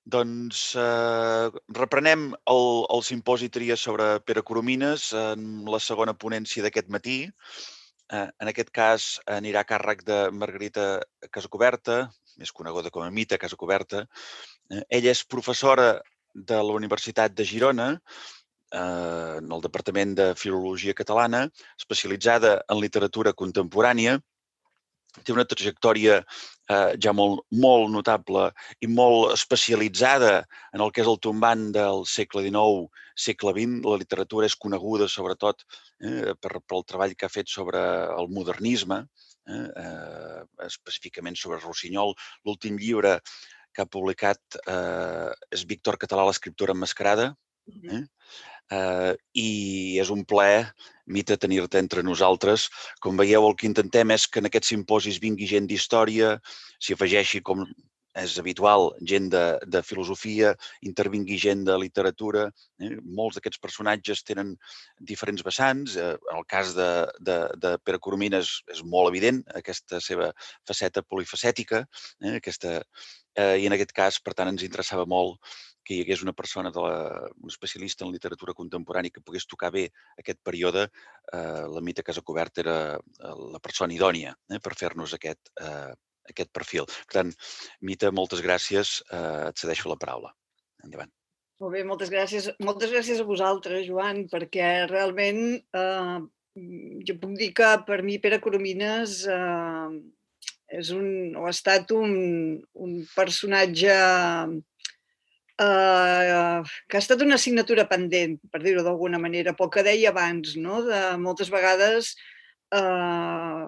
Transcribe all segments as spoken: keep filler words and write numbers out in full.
Doncs eh, reprenem el, el simposi Tria sobre Pere Coromines en la segona ponència d'aquest matí. Eh, en aquest cas anirà a càrrec de Margarita Casacoberta, més coneguda com a Mita Casacoberta. Eh, ella és professora de la Universitat de Girona, eh, en el Departament de Filologia Catalana, especialitzada en literatura contemporània. Té una trajectòria eh, ja molt, molt notable i molt especialitzada en el que és el tombant del segle dinou, segle vint. La literatura és coneguda sobretot eh, per, pel treball que ha fet sobre el modernisme, eh, eh, específicament sobre Rossinyol. L'últim llibre que ha publicat eh, és Víctor Català, l'escriptora emmascarada. Eh? Uh, I és un plaer, Mita, tenir-te entre nosaltres. Com veieu, el que intentem és que en aquests simposis vingui gent d'història, s'hi afegeixi, com és habitual, gent de, de filosofia, intervingui gent de literatura. Eh? Molts d'aquests personatges tenen diferents vessants. Eh, en el cas de, de, de Pere Coromines és molt evident aquesta seva faceta polifacètica. Eh? Aquesta, eh, I en aquest cas, per tant, ens interessava molt que hi hagués una persona, de la, un especialista en literatura contemporània que pogués tocar bé aquest període. Eh, la Mita Casacoberta era la persona idònia eh, per fer-nos aquest, eh, aquest perfil. Per tant, Mita, moltes gràcies. Eh, et cedeixo la paraula. Endavant. Molt bé, moltes gràcies. Moltes gràcies a vosaltres, Joan, perquè realment eh, jo puc dir que per mi Pere Coromines eh, és un, o ha estat un, un personatge Uh, que ha estat una assignatura pendent, per dir-ho d'alguna manera, pel que deia abans, no? De moltes vegades uh,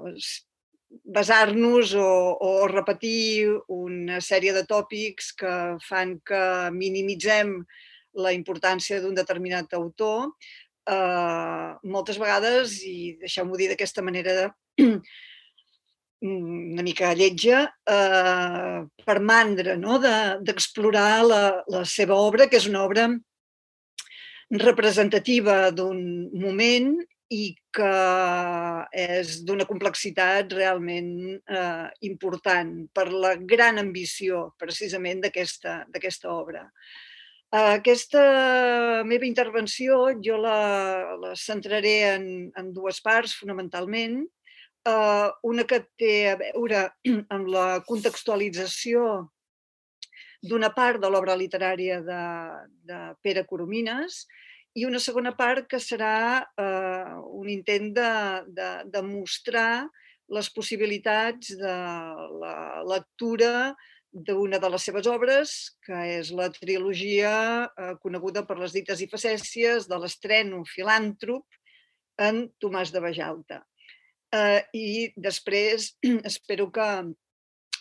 basar-nos o, o repetir una sèrie de tòpics que fan que minimitzem la importància d'un determinat autor, uh, moltes vegades, i deixeu-m'ho dir d'aquesta manera una mica lletja, eh, per mandra, no? d'explorar de, la, la seva obra, que és una obra representativa d'un moment i que és d'una complexitat realment eh, important per la gran ambició, precisament, d'aquesta obra. Aquesta meva intervenció jo la, la centraré en, en dues parts, fonamentalment. Uh, una que té a veure amb la contextualització d'una part de l'obra literària de, de Pere Coromines i una segona part que serà uh, un intent de, de, de mostrar les possibilitats de la lectura d'una de les seves obres, que és la trilogia eh, coneguda per les dites i facècies de l'estreno filàntrop en Tomàs de Bajalta. Uh, I després espero que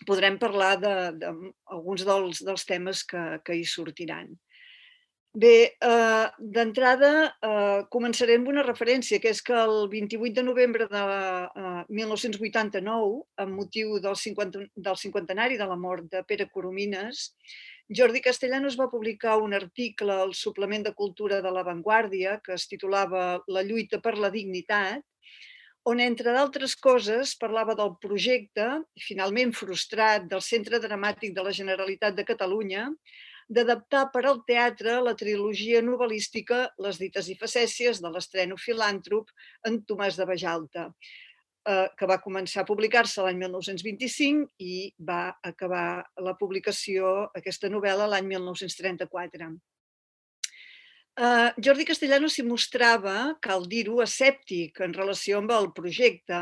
podrem parlar d'alguns de, de dels, dels temes que, que hi sortiran. Bé, uh, d'entrada uh, començaré amb una referència, que és que el vint-i-vuit de novembre de uh, mil nou-cents vuitanta-nou, amb motiu del, cinquanta, del cinquantenari de la mort de Pere Coromines, Jordi Castellanos va publicar un article al suplement de cultura de La Vanguardia que es titulava La lluita per la dignitat, on, entre d'altres coses, parlava del projecte, finalment frustrat, del Centre Dramàtic de la Generalitat de Catalunya, d'adaptar per al teatre la trilogia novel·lística Les dites i facècies de l'estreno filàntrop en Tomàs de Bajalta, que va començar a publicar-se l'any mil nou-cents vint-i-cinc i va acabar la publicació, aquesta novel·la, l'any mil nou-cents trenta-quatre. Uh, Jordi Castellanos s'hi mostrava, cal dir-ho, escèptic en relació amb el projecte,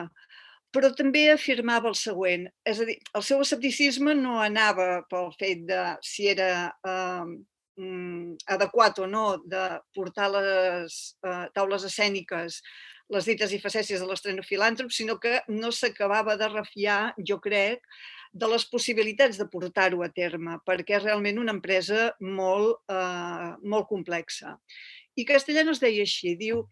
però també afirmava el següent, és a dir, el seu escepticisme no anava pel fet de si era uh, adequat o no de portar les uh, taules escèniques, les dites i facècies de l'estreno filàntrop, sinó que no s'acabava de refiar, jo crec, de les possibilitats de portar-ho a terme, perquè és realment una empresa molt, eh, molt complexa. I Castellanos deia així, diu,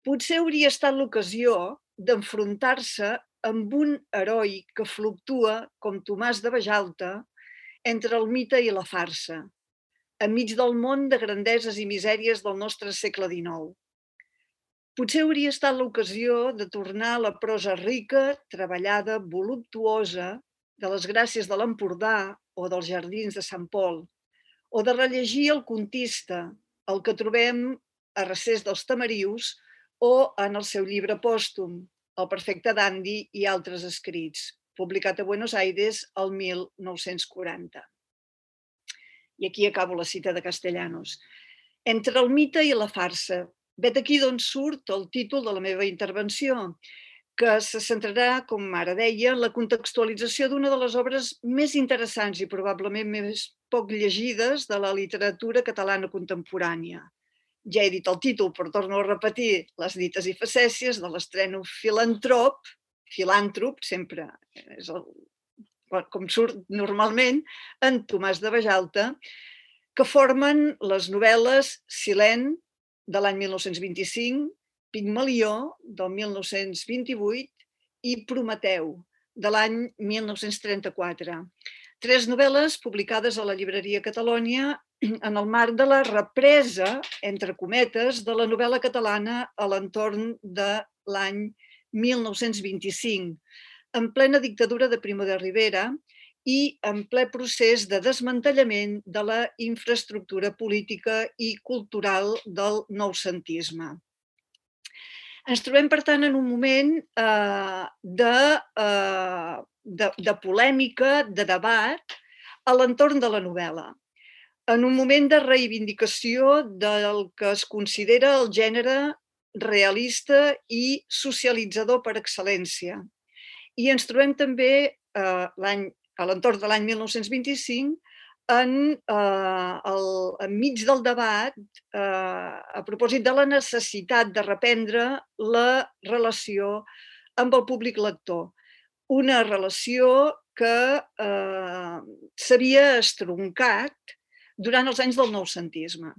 potser hauria estat l'ocasió d'enfrontar-se amb un heroi que fluctua, com Tomàs de Bajalta, entre el mite i la farsa, enmig del món de grandeses i misèries del nostre segle dinou. Potser hauria estat l'ocasió de tornar a la prosa rica, treballada, voluptuosa, de les gràcies de l'Empordà o dels jardins de Sant Pol, o de rellegir El contista, el que trobem a Recés dels Tamarius o en el seu llibre pòstum, El perfecte dandi i altres escrits, publicat a Buenos Aires el mil nou-cents quaranta. I aquí acabo la cita de Castellanos. Entre el mite i la farsa. Vet aquí d'on surt el títol de la meva intervenció, que se centrarà, com ara deia, en la contextualització d'una de les obres més interessants i probablement més poc llegides de la literatura catalana contemporània. Ja he dit el títol, però torno a repetir les dites i facècies de l'estreno filantrop, filàntrop, sempre és el, com surt normalment, en Tomàs de Bajalta, que formen les novel·les Silent, de l'any mil nou-cents vint-i-cinc, Pigmalió, del mil nou-cents vint-i-vuit, i Prometeu, de l'any mil nou-cents trenta-quatre. Tres novel·les publicades a la llibreria Catalònia en el marc de la represa, entre cometes, de la novel·la catalana a l'entorn de l'any mil nou-cents vint-i-cinc, en plena dictadura de Primo de Rivera i en ple procés de desmantellament de la infraestructura política i cultural del noucentisme. Ens trobem, per tant, en un moment eh, de, eh, de, de polèmica, de debat, a l'entorn de la novel·la. En un moment de reivindicació del que es considera el gènere realista i socialitzador per excel·lència. I ens trobem també eh, l'any a l'entorn de l'any mil nou-cents vint-i-cinc, en, eh, el, enmig del debat eh, a propòsit de la necessitat de reprendre la relació amb el públic lector. Una relació que eh, s'havia estroncat durant els anys del noucentisme.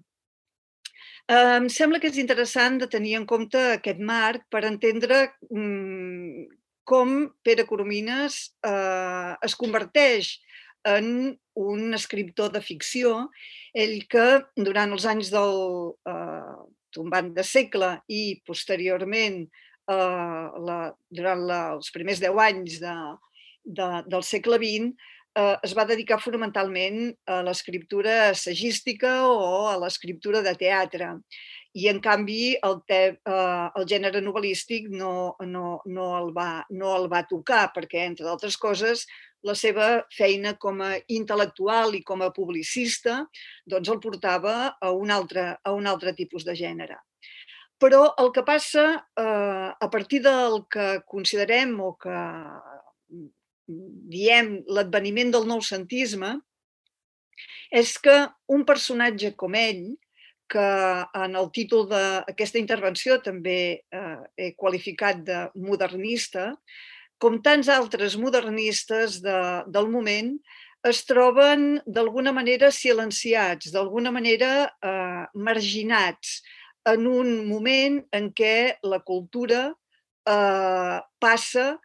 Eh, em sembla que és interessant de tenir en compte aquest marc per entendre mm, com Pere Coromines eh, es converteix en un escriptor de ficció, ell que durant els anys del eh, tombant de segle i posteriorment eh, la, durant la, els primers deu anys de, de, del segle vint eh, es va dedicar fonamentalment a l'escriptura assagística o a l'escriptura de teatre. I, en canvi, el, te, eh, el gènere novel·lístic no, no, no, el va, no el va tocar, perquè, entre d'altres coses, la seva feina com a intel·lectual i com a publicista doncs el portava a un altre, a un altre tipus de gènere. Però el que passa eh, a partir del que considerem o que diem l'adveniment del noucentisme és que un personatge com ell, que en el títol d'aquesta intervenció també eh, he qualificat de modernista, com tants altres modernistes de, del moment, es troben d'alguna manera silenciats, d'alguna manera eh, marginats, en un moment en què la cultura eh, passa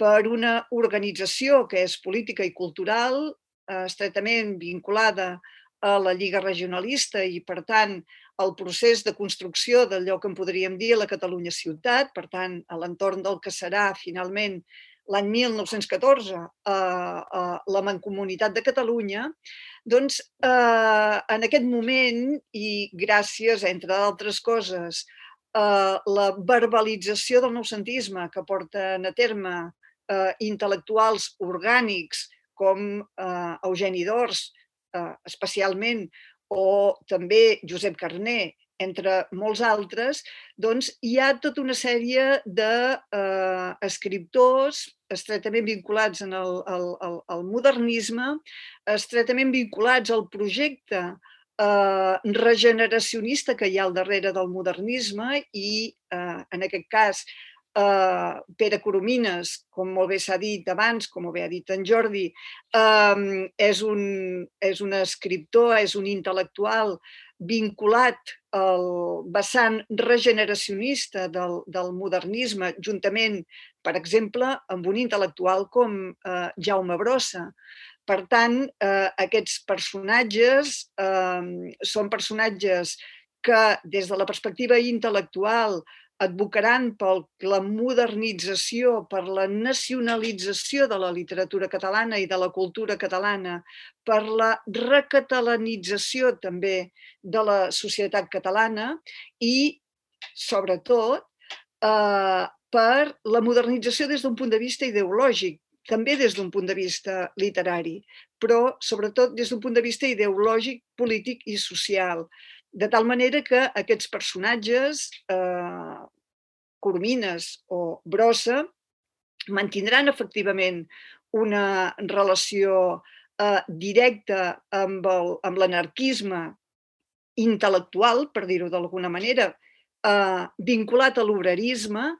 per una organització que és política i cultural, eh, estretament vinculada a la Lliga Regionalista i, per tant, el procés de construcció d'allò que en podríem dir la Catalunya ciutat, per tant, a l'entorn del que serà finalment l'any mil nou-cents catorze eh, eh, la Mancomunitat de Catalunya, doncs eh, en aquest moment i gràcies, entre d'altres coses, eh, la verbalització del noucentisme que porten a terme eh, intel·lectuals orgànics com eh, Eugeni d'Ors, eh, especialment, o també Josep Carner, entre molts altres, doncs hi ha tota una sèrie d'escriptors eh, estretament vinculats en el, el, el, el modernisme, estretament vinculats al projecte eh, regeneracionista que hi ha al darrere del modernisme i, eh, en aquest cas, eh, Pere Coromines, com molt bé s'ha dit abans, com bé ha dit en Jordi, eh, és, un, és un escriptor, és un intel·lectual vinculat al vessant regeneracionista del, del modernisme, juntament, per exemple, amb un intel·lectual com eh, Jaume Brossa. Per tant, eh, aquests personatges eh, són personatges que, des de la perspectiva intel·lectual, advocaran per la modernització, per la nacionalització de la literatura catalana i de la cultura catalana, per la recatalanització també de la societat catalana i, sobretot, eh, per la modernització des d'un punt de vista ideològic, també des d'un punt de vista literari, però sobretot des d'un punt de vista ideològic, polític i social. De tal manera que aquests personatges, eh, Coromines o Brossa, mantindran efectivament una relació eh, directa amb el, amb l'anarquisme intel·lectual, per dir-ho d'alguna manera, eh, vinculat a l'obrerisme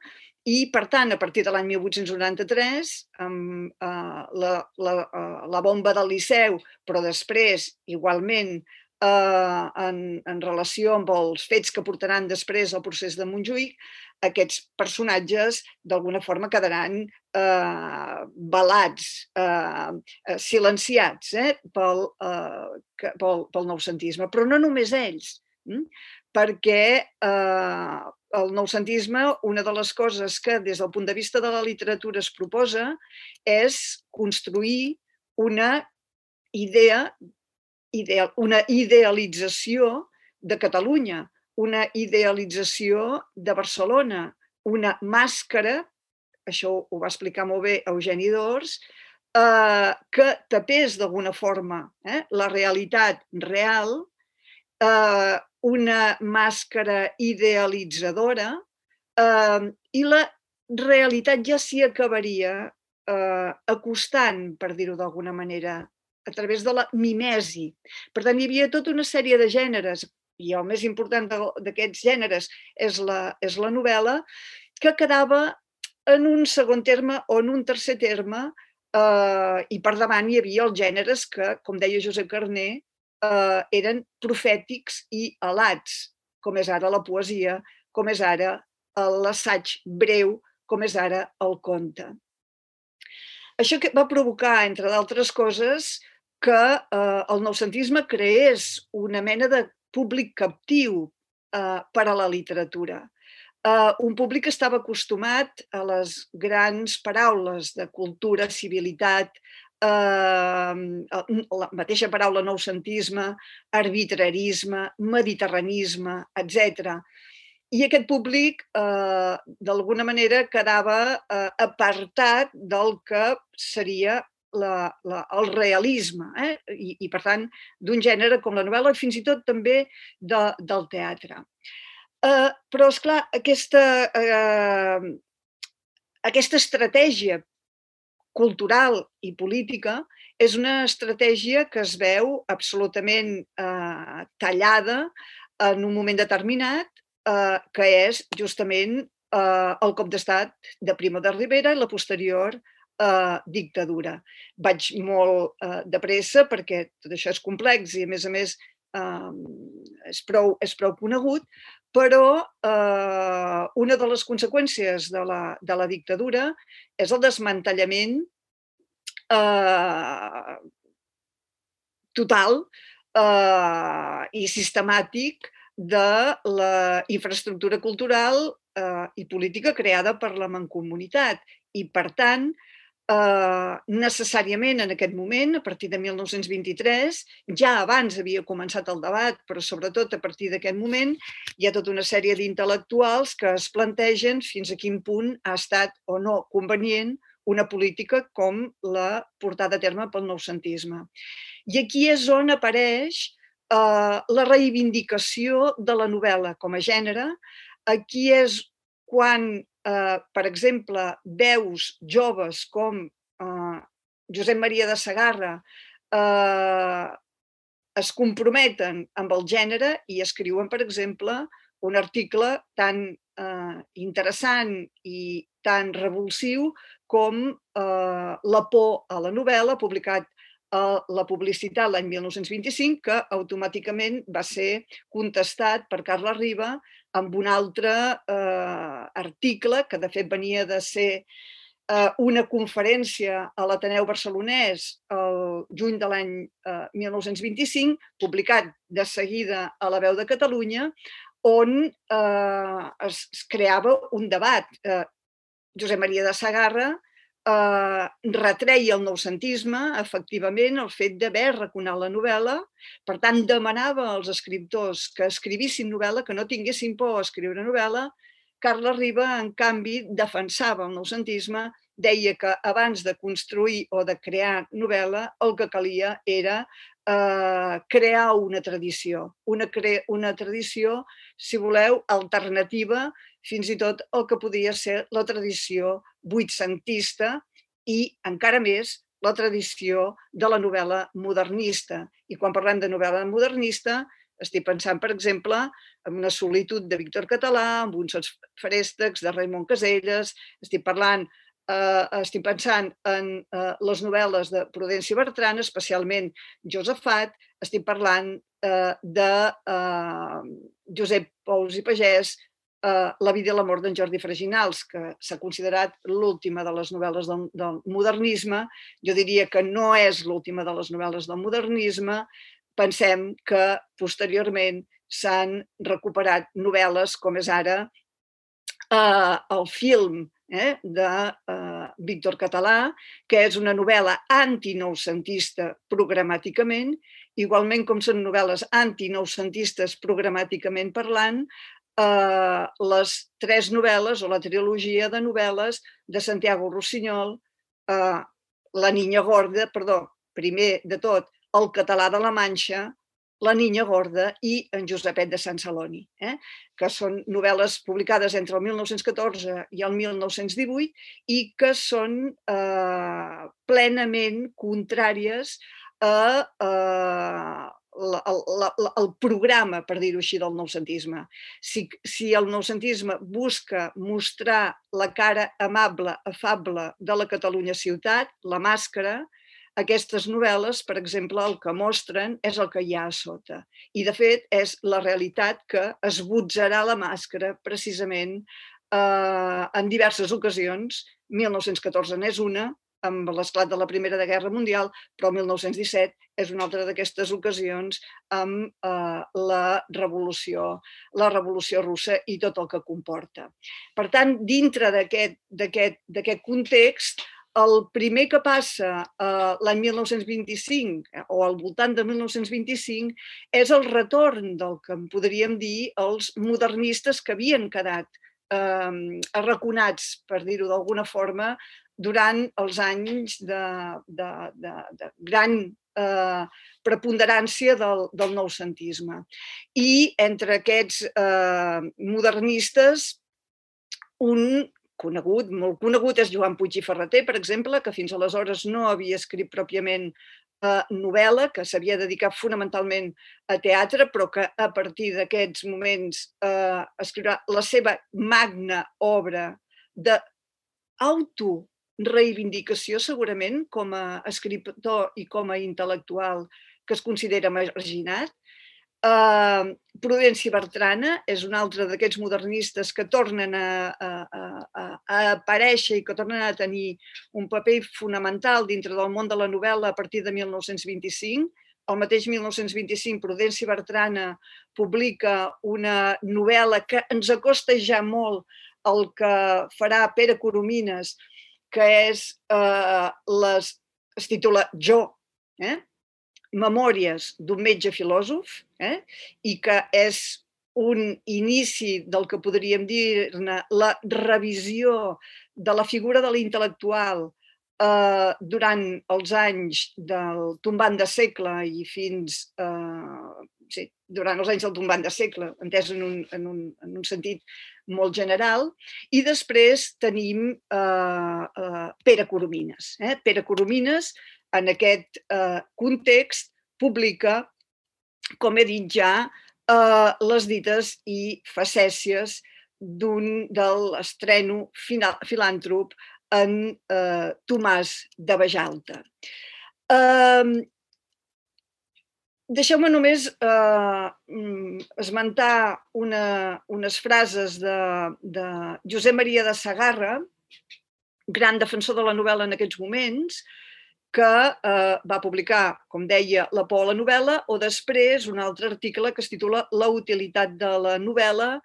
i, per tant, a partir de l'any mil vuit-cents noranta-tres, amb eh, la, la, eh, la bomba del Liceu, però després, igualment, eh, en, en relació amb els fets que portaran després al procés de Montjuïc, aquests personatges d'alguna forma quedaran eh, velats, eh, silenciats eh, pel, eh, pel, pel noucentisme. Però no només ells, hm? perquè eh, el noucentisme, una de les coses que des del punt de vista de la literatura es proposa és construir una idea, ideal, una idealització de Catalunya, una idealització de Barcelona, una màscara, això ho va explicar molt bé Eugeni d'Ors, eh, que tapés d'alguna forma eh, la realitat real, eh, una màscara idealitzadora, eh, i la realitat ja s'hi acabaria eh, acostant, per dir-ho d'alguna manera, a través de la mimesi. Per tant, hi havia tota una sèrie de gèneres, i el més important d'aquests gèneres és la, és la novel·la, que quedava en un segon terme o en un tercer terme, eh, i per davant hi havia els gèneres que, com deia Josep Carner, eh, eren profètics i alats, com és ara la poesia, com és ara l'assaig breu, com és ara el conte. Això que va provocar, entre d'altres coses, que eh, el noucentisme creés una mena de públic captiu eh, per a la literatura. Eh, un públic que estava acostumat a les grans paraules de cultura, civilitat, eh, la mateixa paraula noucentisme, arbitrarisme, mediterranisme, etcètera. I aquest públic, eh, d'alguna manera, quedava eh, apartat del que seria la, la, el realisme, eh? I, i, per tant, d'un gènere com la novel·la i fins i tot també de, del teatre. Eh, però, esclar, aquesta, eh, aquesta estratègia cultural i política és una estratègia que es veu absolutament eh, tallada en un moment determinat, eh, que és justament eh, el cop d'estat de Primo de Rivera i la posterior eh, dictadura. Vaig molt eh, de pressa perquè tot això és complex i, a més a més, eh, és, prou, és prou conegut, però eh, una de les conseqüències de la, de la dictadura és el desmantellament eh, total eh, i sistemàtic de la infraestructura cultural eh, i política creada per la Mancomunitat. I, per tant, eh, necessàriament en aquest moment, a partir de mil nou-cents vint-i-tres, ja abans havia començat el debat, però sobretot a partir d'aquest moment, hi ha tota una sèrie d'intel·lectuals que es plantegen fins a quin punt ha estat o no convenient una política com la portada a terme pel noucentisme. I aquí és on apareix eh, la reivindicació de la novel·la com a gènere. Aquí és quan, eh, per exemple, veus joves com eh, Josep Maria de Segarra eh, es comprometen amb el gènere i escriuen, per exemple, un article tan eh, interessant i tan revulsiu com eh, La por a la novel·la, publicat a La Publicitat l'any mil nou-cents vint-i-cinc, que automàticament va ser contestat per Carles Riba amb un altre eh, article, que de fet venia de ser eh, una conferència a l'Ateneu Barcelonès el juny de l'any eh, mil nou-cents vint-i-cinc, publicat de seguida a La Veu de Catalunya, on es creava un debat. Josep Maria de Sagarra retreia el noucentisme, efectivament, el fet d'haver raconat la novel·la, per tant, demanava als escriptors que escrivissin novel·la, que no tinguessin por a escriure novel·la. Carles Riba, en canvi, defensava el noucentisme, deia que abans de construir o de crear novel·la, el que calia era crear una tradició, una, una tradició, si voleu, alternativa, fins i tot el que podia ser la tradició vuitcentista i, encara més, la tradició de la novel·la modernista. I quan parlem de novel·la modernista, estic pensant, per exemple, en Una solitud de Víctor Català, en uns feréstecs de Raimon Casellas, estic parlant Uh, estic pensant en uh, les novel·les de Prudenci Bertran, especialment Josafat, estic parlant uh, de uh, Josep Pous i Pagès, uh, La vida i la mort d'en Jordi Freginals, que s'ha considerat l'última de les novel·les del, del modernisme. Jo diria que no és l'última de les novel·les del modernisme. Pensem que posteriorment s'han recuperat novel·les com és ara uh, el film Eh, de uh, Víctor Català, que és una novel·la antinoucentista programàticament, igualment com són novel·les antinoucentistes programàticament parlant, uh, les tres novel·les o la trilogia de novel·les de Santiago Rossinyol, uh, La niña gorda, perdó, primer de tot, El català de la Manxa, La niña gorda i en Josepet de Sant Celoni, eh? que són novel·les publicades entre el mil nou-cents catorze i el mil nou-cents divuit i que són eh, plenament contràries a, a la, la, la, el programa, per dir-ho així, del noucentisme. Si, si el noucentisme busca mostrar la cara amable, afable de la Catalunya ciutat, la màscara, aquestes novel·les, per exemple, el que mostren és el que hi ha a sota. I, de fet, és la realitat que esbotzarà la màscara precisament eh, en diverses ocasions. mil nou-cents catorze n'és una, amb l'esclat de la Primera Guerra Mundial, però el mil nou-cents disset és una altra d'aquestes ocasions amb eh, la revolució, la revolució russa i tot el que comporta. Per tant, dintre d'aquest context, el primer que passa eh, l'any mil nou-cents vint-i-cinc o al voltant de mil nou-cents vint-i-cinc és el retorn del que en podríem dir els modernistes que havien quedat eh, arraconats, per dir-ho d'alguna forma, durant els anys de, de, de, de gran eh, preponderància del, del noucentisme. I entre aquests eh, modernistes, un conegut, molt conegut, és Joan Puig i Ferrater, per exemple, que fins aleshores no havia escrit pròpiament eh, novel·la, que s'havia dedicat fonamentalment a teatre, però que a partir d'aquests moments eh, escriurà la seva magna obra d'autoreivindicació, segurament, com a escriptor i com a intel·lectual que es considera marginat. Uh, Prudenci Bertrana és un altre d'aquests modernistes que tornen a, a, a, a aparèixer i que tornen a tenir un paper fonamental dintre del món de la novel·la a partir de mil nou-cents vint-i-cinc. El mateix mil nou-cents vint-i-cinc, Prudenci Bertrana publica una novel·la que ens acosta ja molt al que farà Pere Coromines, que és, uh, les, es titula Jo, eh? Memòries d'un metge filòsof, eh? I que és un inici del que podríem dir-ne la revisió de la figura de l'intel·lectual eh, durant els anys del tombant de segle i fins... Eh, sí, durant els anys del tombant de segle, entès en un, en un, en un sentit molt general. I després tenim eh, eh, Pere Coromines. Eh? Pere Coromines, en aquest eh, context, publica, com he dit ja, eh, les dites i facècies d'un de l'estreno filàntrop en eh, Tomàs de Bajalta. Eh, Deixeu-me només eh, esmentar una, unes frases de, de Josep Maria de Sagarra, gran defensor de la novel·la en aquests moments, que eh, va publicar, com deia, La por a la novel·la, o després un altre article que es titula La utilitat de la novel·la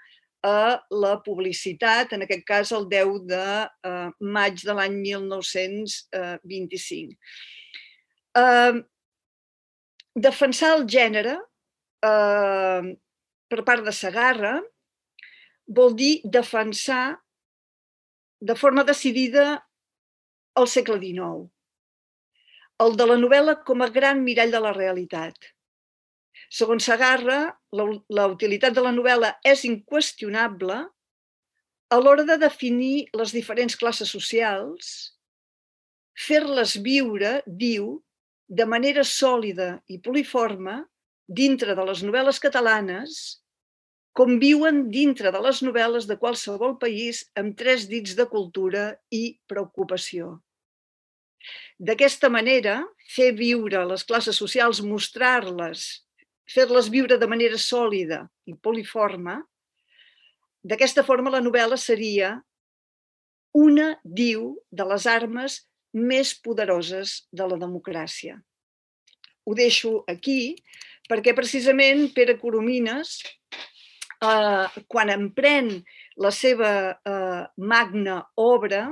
a la publicitat, en aquest cas el deu de eh, maig de l'any mil nou-cents vint-i-cinc. Eh, defensar el gènere eh, per part de Segarra vol dir defensar de forma decidida el segle dinou, el de la novel·la com a gran mirall de la realitat. Segons Segarra, la, la utilitat de la novel·la és inqüestionable a l'hora de definir les diferents classes socials, fer-les viure, diu, de manera sòlida i poliforme dintre de les novel·les catalanes, com viuen dintre de les novel·les de qualsevol país amb tres dits de cultura i preocupació. D'aquesta manera, fer viure les classes socials, mostrar-les, fer-les viure de manera sòlida i poliforme, d'aquesta forma la novel·la seria una, diu, de les armes més poderoses de la democràcia. Ho deixo aquí perquè precisament Pere Coromines, eh, quan emprèn la seva eh, magna obra,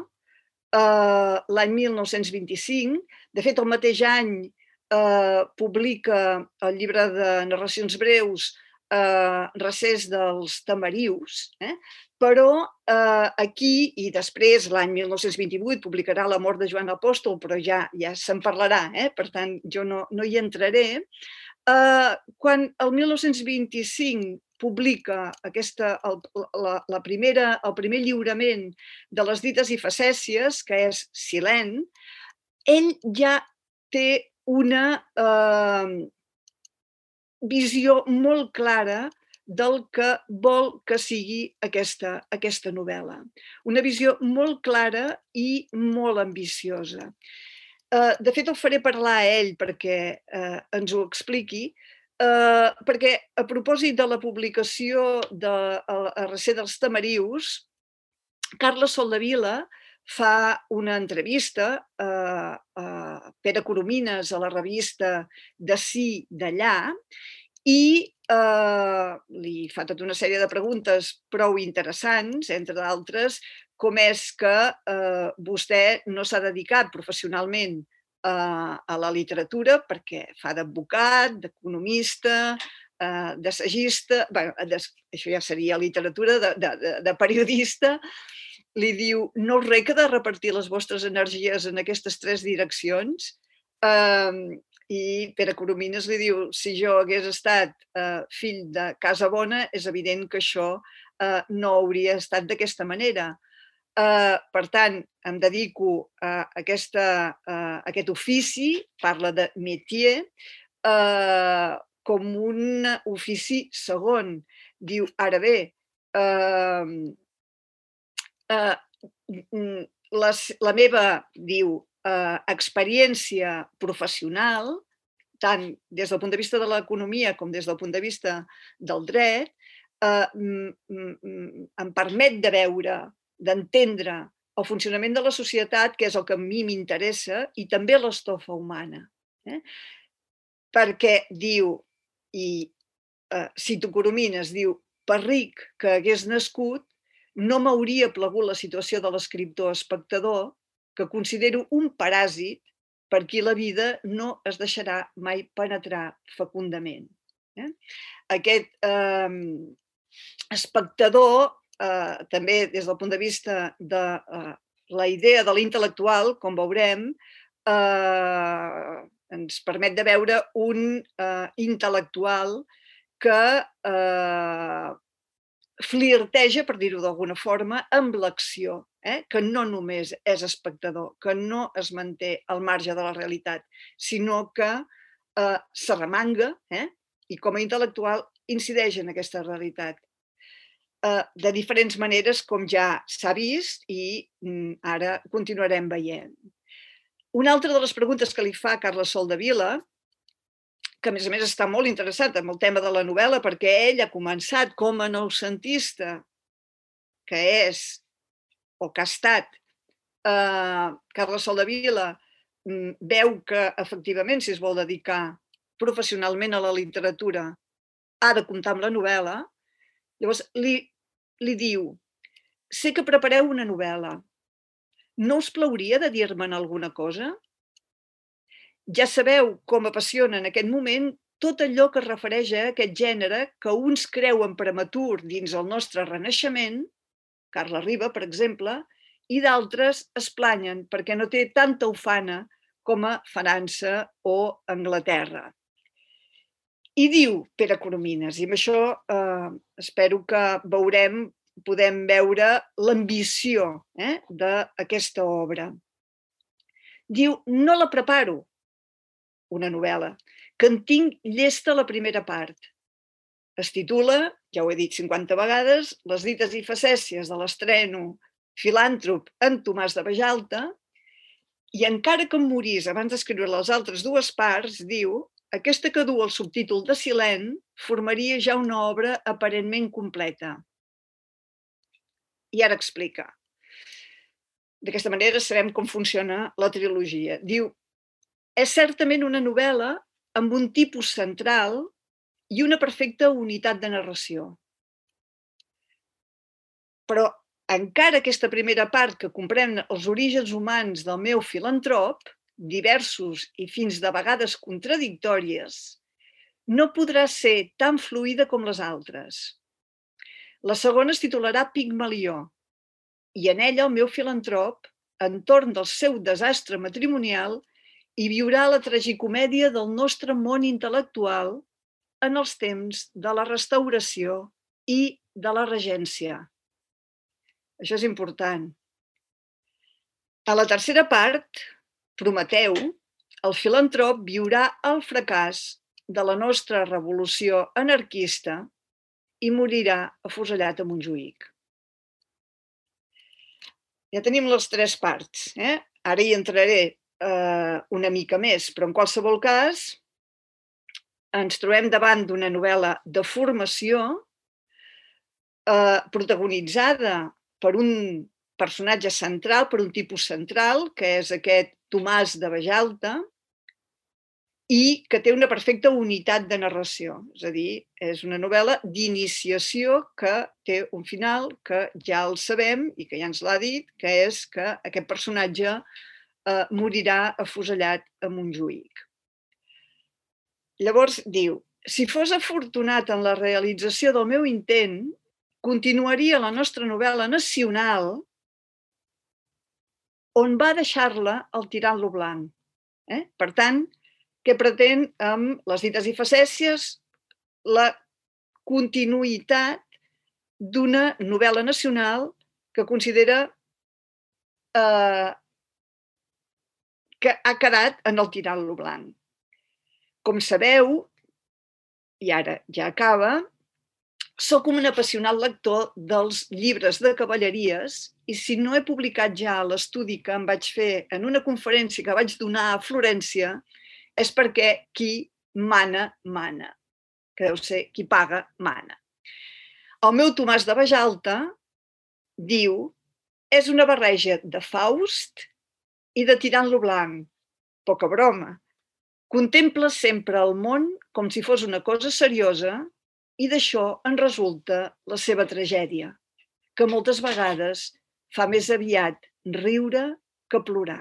Uh, l'any mil nou-cents vint-i-cinc. De fet, el mateix any uh, publica el llibre de narracions breus uh, Recés dels Tamarius, eh? Però uh, aquí, i després, l'any mil nou-cents vint-i-vuit, publicarà La mort de Joan Apòstol, però ja ja se'n parlarà, eh? Per tant, jo no, no hi entraré. Uh, quan el mil nou-cents vint-i-cinc publica aquesta, el, la, la primera, el primer lliurament de les dites i facècies, que és Silent, ell ja té una eh, visió molt clara del que vol que sigui aquesta, aquesta novel·la. Una visió molt clara i molt ambiciosa. Eh, de fet, el faré parlar a ell perquè eh, ens ho expliqui, Uh, perquè a propòsit de la publicació de A Recer dels Tamarius, Carles Soldevila fa una entrevista a, a Pere Coromines a la revista D'ací d'allà i uh, li fa tota una sèrie de preguntes prou interessants, entre d'altres, com és que uh, vostè no s'ha dedicat professionalment a la literatura perquè fa d'advocat, d'economista, d'assagista, bé, això ja seria literatura, de, de, de periodista. Li diu, no us reca de repartir les vostres energies en aquestes tres direccions? I Pere Coromines li diu, si jo hagués estat fill de casa bona, és evident que això no hauria estat d'aquesta manera. Uh, per tant, em dedico a, aquesta, uh, a aquest ofici, parla de métier, uh, com un ofici segon. Diu, ara bé, uh, uh, la, la meva, diu, uh, experiència professional, tant des del punt de vista de l'economia com des del punt de vista del dret, uh, em permet de veure, d'entendre el funcionament de la societat, que és el que a mi m'interessa, i també l'estofa humana. Eh? Perquè diu, i eh, cito Coromines, diu, per ric que hagués nascut, no m'hauria plagut la situació de l'escriptor espectador, que considero un paràsit per qui la vida no es deixarà mai penetrar fecundament. Eh? Aquest eh, espectador, Uh, també des del punt de vista de uh, la idea de l'intel·lectual, com veurem, uh, ens permet de veure un uh, intel·lectual que uh, flirteja, per dir-ho d'alguna forma, amb l'acció, eh? Que no només és espectador, que no es manté al marge de la realitat, sinó que uh, s'arremanga, eh? I com a intel·lectual incideix en aquesta realitat. De diferents maneres, com ja s'ha vist, i ara continuarem veient. Una altra de les preguntes que li fa Carles Soldevila, que a més a més està molt interessat en el tema de la novel·la, perquè ell ha començat com a noucentista, que és, o que ha estat, eh, Carles Soldevila, veu que, efectivament, si es vol dedicar professionalment a la literatura, ha de comptar amb la novel·la, llavors li, li diu: sé que prepareu una novel·la, no us plauria de dir-me'n alguna cosa? Ja sabeu com apassiona en aquest moment tot allò que es refereix a aquest gènere que uns creuen prematur dins el nostre renaixement, Carles Riba, per exemple, i d'altres es planyen perquè no té tanta ufana com a França o Anglaterra. I diu Pere Coromines, i amb això eh, espero que veurem, podem veure l'ambició eh, d'aquesta obra. Diu: no la preparo, una novel·la, que en tinc llesta la primera part. Es titula, ja ho he dit cinquanta vegades, Les dites i facècies de l'estreno filàntrop en Tomàs de Bajalta, i encara que em morís abans d'escriure les altres dues parts, diu, aquesta que du el subtítol de Silent formaria ja una obra aparentment completa. I ara explica. D'aquesta manera sabem com funciona la trilogia. Diu, és certament una novel·la amb un tipus central i una perfecta unitat de narració. Però encara aquesta primera part que comprèn els orígens humans del meu filantrop, diversos i fins de vegades contradictòries, no podrà ser tan fluida com les altres. La segona es titularà Pigmalió, i en ella el meu filantrop, entorn del seu desastre matrimonial, hi viurà la tragicomèdia del nostre món intel·lectual en els temps de la Restauració i de la Regència. Això és important. A la tercera part, Prometeu, el filantrop viurà el fracàs de la nostra revolució anarquista i morirà afusellat a Montjuïc. Ja tenim les tres parts. Eh? Ara hi entraré eh, una mica més, però en qualsevol cas ens trobem davant d'una novel·la de formació eh, protagonitzada per un personatge central, per un tipus central, que és aquest Tomàs de Bajalta, i que té una perfecta unitat de narració. És a dir, és una novel·la d'iniciació que té un final que ja el sabem i que ja ens l'ha dit, que és que aquest personatge eh, morirà afusellat a Montjuïc. Llavors diu, si fos afortunat en la realització del meu intent, continuaria la nostra novel·la nacional on va deixar-la el tirant-lo blanc. Eh? Per tant, què pretén amb Les dites i facècies? La continuïtat d'una novel·la nacional que considera eh, que ha quedat en el tirant-lo blanc. Com sabeu, i ara ja acaba, soc un apassionat lector dels llibres de cavalleries i si no he publicat ja l'estudi que em vaig fer en una conferència que vaig donar a Florència és perquè qui mana, mana. Que deu ser qui paga, mana. El meu Tomàs de Bajalta diu és una barreja de Faust i de tirant-lo blanc. Poca broma. Contempla sempre el món com si fos una cosa seriosa i d'això en resulta la seva tragèdia, que moltes vegades fa més aviat riure que plorar.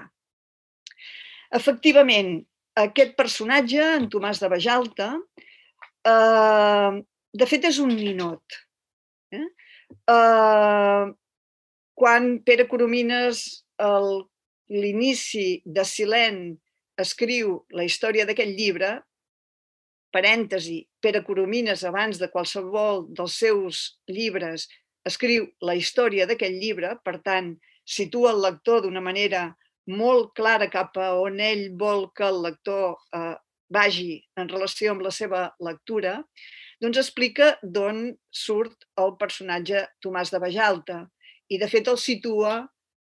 Efectivament, aquest personatge, en Tomàs de Bajalta, eh, de fet és un ninot. Eh? Eh, quan Pere Coromines, a l'inici de Silent, escriu la història d'aquest llibre, parèntesi, Pere Coromines, abans de qualsevol dels seus llibres, escriu la història d'aquest llibre, per tant, situa el lector d'una manera molt clara cap a on ell vol que el lector eh, vagi en relació amb la seva lectura, doncs explica d'on surt el personatge Tomàs de Bajalta. I, de fet, el situa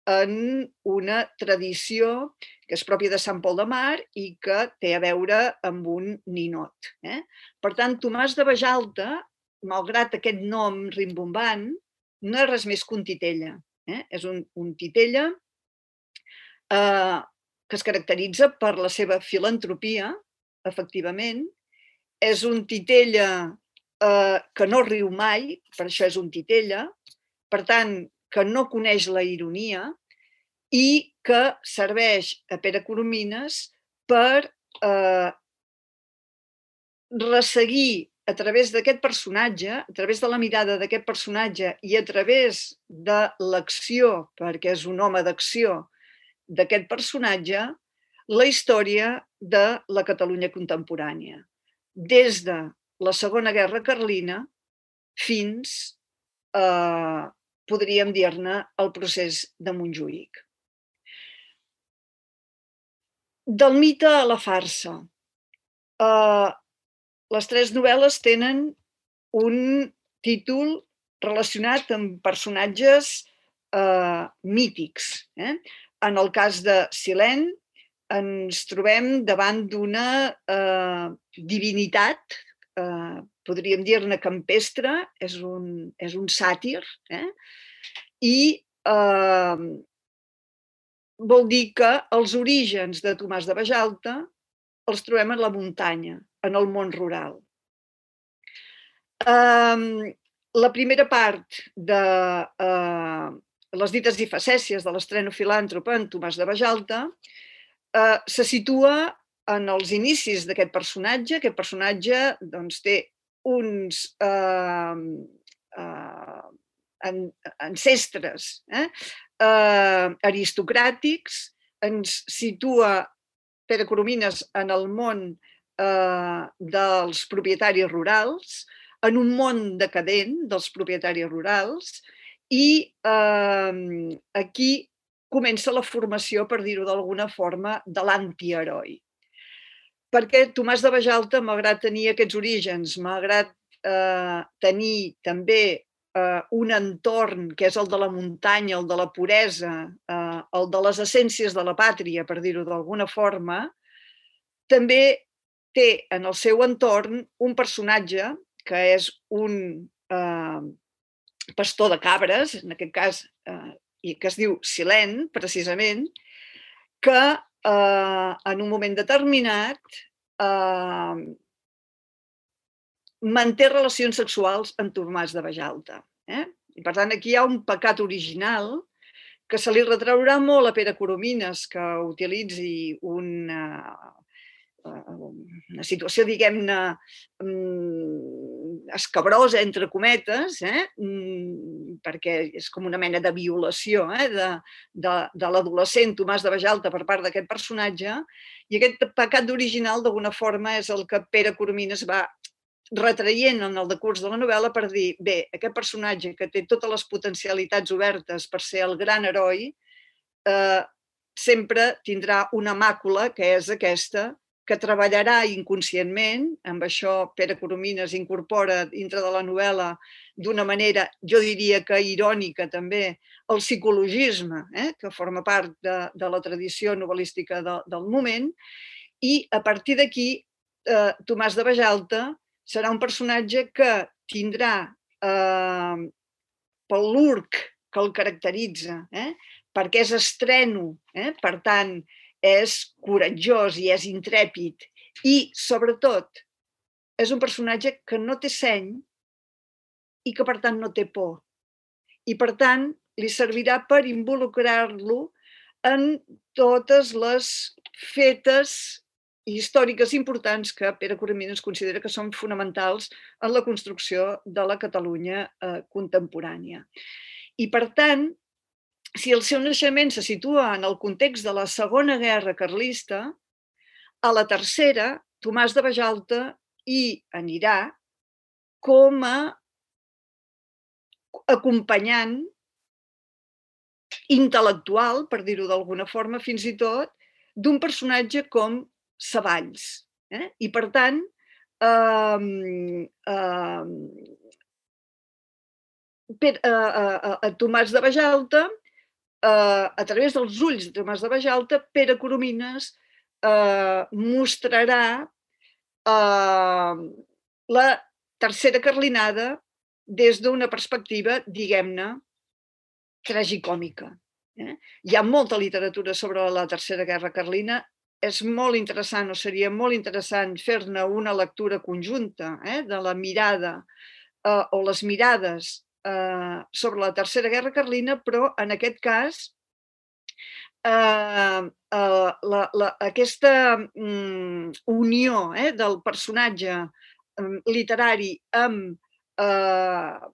en una tradició que és pròpia de Sant Pol de Mar i que té a veure amb un ninot. Eh? Per tant, Tomàs de Bajalta, malgrat aquest nom rimbombant, no és res més que un titella. Eh? És un, un titella eh, que es caracteritza per la seva filantropia, efectivament. És un titella eh, que no riu mai, per això és un titella, per tant, que no coneix la ironia i que serveix a Pere Coromines per eh, resseguir a través d'aquest personatge, a través de la mirada d'aquest personatge i a través de l'acció, perquè és un home d'acció, d'aquest personatge, la història de la Catalunya contemporània. Des de la Segona Guerra Carlina fins a, podríem dir-ne, el procés de Montjuïc. Del mite a la farsa. Uh, les tres novel·les tenen un títol relacionat amb personatges uh, mítics. Eh? En el cas de Silent, ens trobem davant d'una uh, divinitat, uh, podríem dir-ne campestre, és un, és un sàtir, eh? I uh, vol dir que els orígens de Tomàs de Bajalta els trobem en la muntanya, en el món rural. Um, la primera part de uh, les dites i facècies de l'estreno filàntrop en Tomàs de Bajalta uh, se situa en els inicis d'aquest personatge. Aquest personatge doncs, té uns uh, uh, ancestres eh? uh, aristocràtics, ens situa Pere Coromines en el món eh, dels propietaris rurals, en un món decadent dels propietaris rurals, i eh, aquí comença la formació, per dir-ho d'alguna forma, de l'antiheroi. Perquè Tomàs de Bajalta, malgrat tenir aquests orígens, malgrat eh, tenir també eh, un entorn que és el de la muntanya, el de la puresa, eh, el de les essències de la pàtria, per dir-ho d'alguna forma, també té en el seu entorn un personatge que és un eh, pastor de cabres, en aquest cas, eh, i que es diu Silent, precisament, que eh, en un moment determinat eh, manté relacions sexuals amb Tomàs de Bajalta. Eh? I per tant, aquí hi ha un pecat original que se li retraurà molt a Pere Coromines que utilitzi una, una situació, diguem-ne, escabrosa, entre cometes, eh? perquè és com una mena de violació eh? de, de, de l'adolescent Tomàs de Bajalta per part d'aquest personatge, i aquest pecat original, d'alguna forma, és el que Pere Coromines va retraient en el decurs de la novel·la per dir, bé, aquest personatge que té totes les potencialitats obertes per ser el gran heroi, eh, sempre tindrà una màcula, que és aquesta, que treballarà inconscientment, amb això Pere Coromines incorpora dintre de la novel·la d'una manera, jo diria que irònica també, el psicologisme, eh, que forma part de, de la tradició novel·lística de, del moment, i a partir d'aquí eh, Tomàs de Bajalta serà un personatge que tindrà, eh, pel l'urc que el caracteritza, eh, perquè és estreno, eh, per tant, és coratjós i és intrèpid, i, sobretot, és un personatge que no té seny i que, per tant, no té por. I, per tant, li servirà per involucrar-lo en totes les fetes històriques importants que Pere Coromines considera que són fonamentals en la construcció de la Catalunya eh, contemporània. I, per tant, si el seu naixement se situa en el context de la Segona Guerra Carlista, a la tercera, Tomàs de Bajalta hi anirà com a acompanyant intel·lectual, per dir-ho d'alguna forma, fins i tot, d'un personatge com Savalls. Eh? I, per tant, eh, eh, per, eh, eh, a Tomàs de Bajalta, eh, a través dels ulls de Tomàs de Bajalta, Pere Coromines eh, mostrarà eh, la tercera carlinada des d'una perspectiva, diguem-ne, tragicòmica. Eh? Hi ha molta literatura sobre la Tercera Guerra Carlina. És molt interessant, o seria molt interessant fer-ne una lectura conjunta eh, de la mirada eh, o les mirades eh, sobre la Tercera Guerra Carlina, però en aquest cas eh, eh, la, la, aquesta mm, unió eh, del personatge eh, literari amb eh,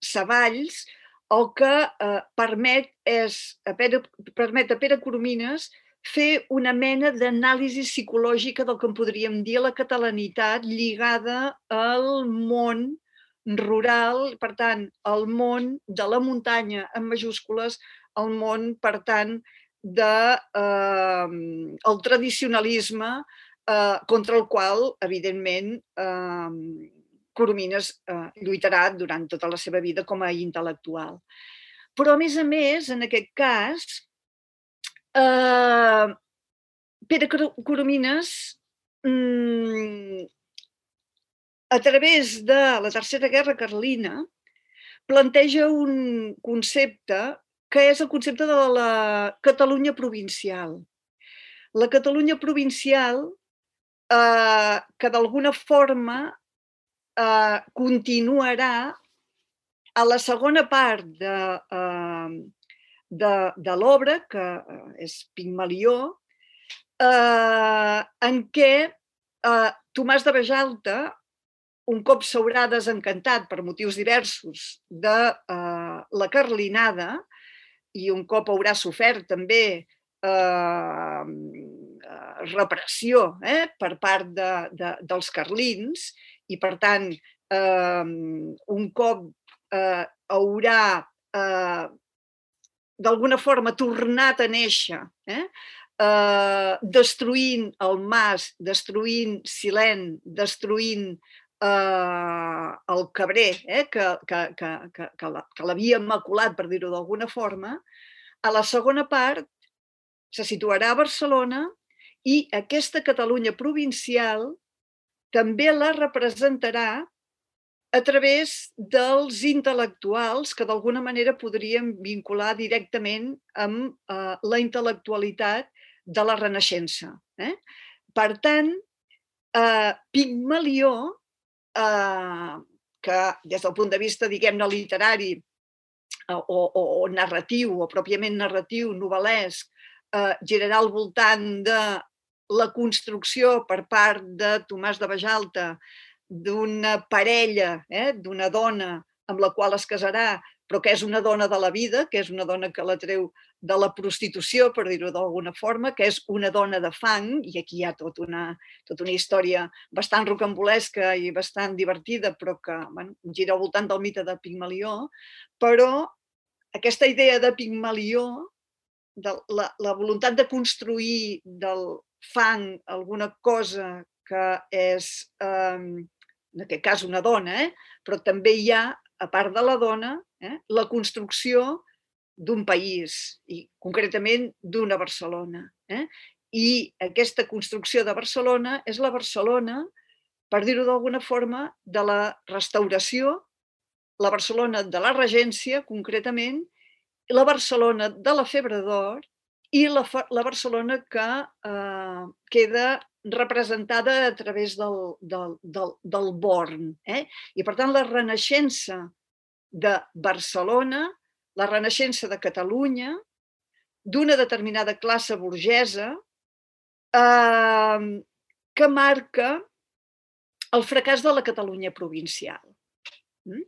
Savalls el que eh, permet és a Pere, permet a Pere Coromines fer una mena d'anàlisi psicològica del que en podríem dir la catalanitat lligada al món rural, per tant, al món de la muntanya en majúscules, al món, per tant, de, eh, el tradicionalisme eh, contra el qual, evidentment, eh, Coromines eh, lluitarà durant tota la seva vida com a intel·lectual. Però, a més a més, en aquest cas, eh, Pere Coromines, mm, a través de la Tercera Guerra Carlina, planteja un concepte que és el concepte de la Catalunya provincial. La Catalunya provincial, eh, que d'alguna forma eh, continuarà a la segona part de, eh, de, de l'obra, que és Pigmalió, eh, en què eh, Tomàs de Bejalta, un cop s'haurà desencantat per motius diversos de eh, la carlinada i un cop haurà sofert també eh, repressió eh, per part de, de, dels carlins i, per tant, eh, un cop eh, haurà eh, d'alguna forma tornat a néixer, eh, eh, destruint el mas, destruint Silent, destruint eh, el Cabrer, eh, que, que, que, que, que l'havia maculat, per dir-ho d'alguna forma, a la segona part se situarà a Barcelona i aquesta Catalunya provincial també la representarà a través dels intel·lectuals que d'alguna manera podríem vincular directament amb eh, la intel·lectualitat de la Renaixença. Eh? Per tant, eh, Pigmalió, eh, que des del punt de vista, diguem-ne, literari o, o, o narratiu, o pròpiament narratiu, novel·lesc, eh, girarà al voltant de la construcció per part de Tomàs de Bejalta d'una parella, eh, d'una dona amb la qual es casarà, però que és una dona de la vida, que és una dona que la treu de la prostitució, per dir-ho d'alguna forma, que és una dona de fang, i aquí hi ha tot una, tota una història bastant rocambolesca i bastant divertida, però que bueno, gira al voltant del mite de Pigmalió, però aquesta idea de Pigmalió, de la, la voluntat de construir del fang alguna cosa que és, eh, en aquest cas, una dona, eh, però també hi ha, a part de la dona, eh, la construcció d'un país, i concretament d'una Barcelona. Eh? I aquesta construcció de Barcelona és la Barcelona, per dir-ho d'alguna forma, de la restauració, la Barcelona de la Regència, concretament, la Barcelona de la Febre d'Or i la, la Barcelona que eh, queda representada a través del, del, del, del Born. Eh? I, per tant, la renaixença de Barcelona, la renaixença de Catalunya, d'una determinada classe burgesa, eh, que marca el fracàs de la Catalunya provincial. Mm?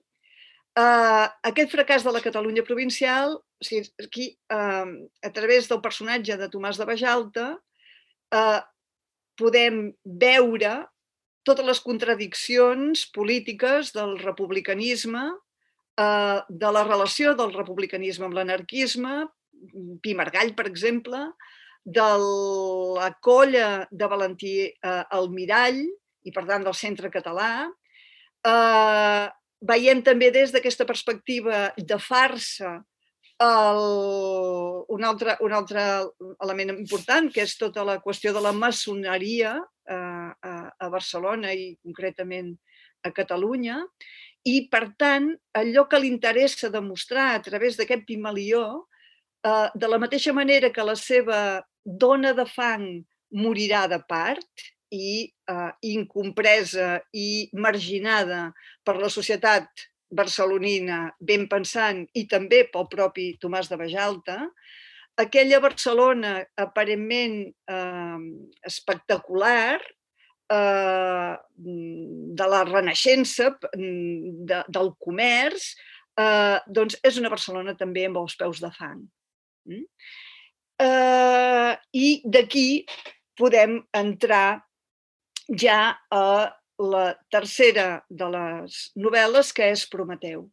Uh, aquest fracàs de la Catalunya provincial, o sigui, aquí, uh, a través del personatge de Tomàs de Bejalta, uh, podem veure totes les contradiccions polítiques del republicanisme, uh, de la relació del republicanisme amb l'anarquisme, Pi i Margall, per exemple, de la colla de Valentí uh, Almirall i, per tant, del Centre Català. Uh, veiem també des d'aquesta perspectiva de farsa el, un, altre, un altre element important, que és tota la qüestió de la maçoneria eh, a, a Barcelona i concretament a Catalunya. I, per tant, allò que li interessa demostrar a través d'aquest Pigmalió De la mateixa manera que la seva dona de fang morirà de part i incompresa i marginada per la societat barcelonina ben pensant i també pel propi Tomàs de Bajalta, aquella Barcelona aparentment espectacular de la Renaixença, del comerç, doncs és una Barcelona també amb els peus de fang. I d'aquí podem entrar ja a la tercera de les novel·les, que és Prometeu.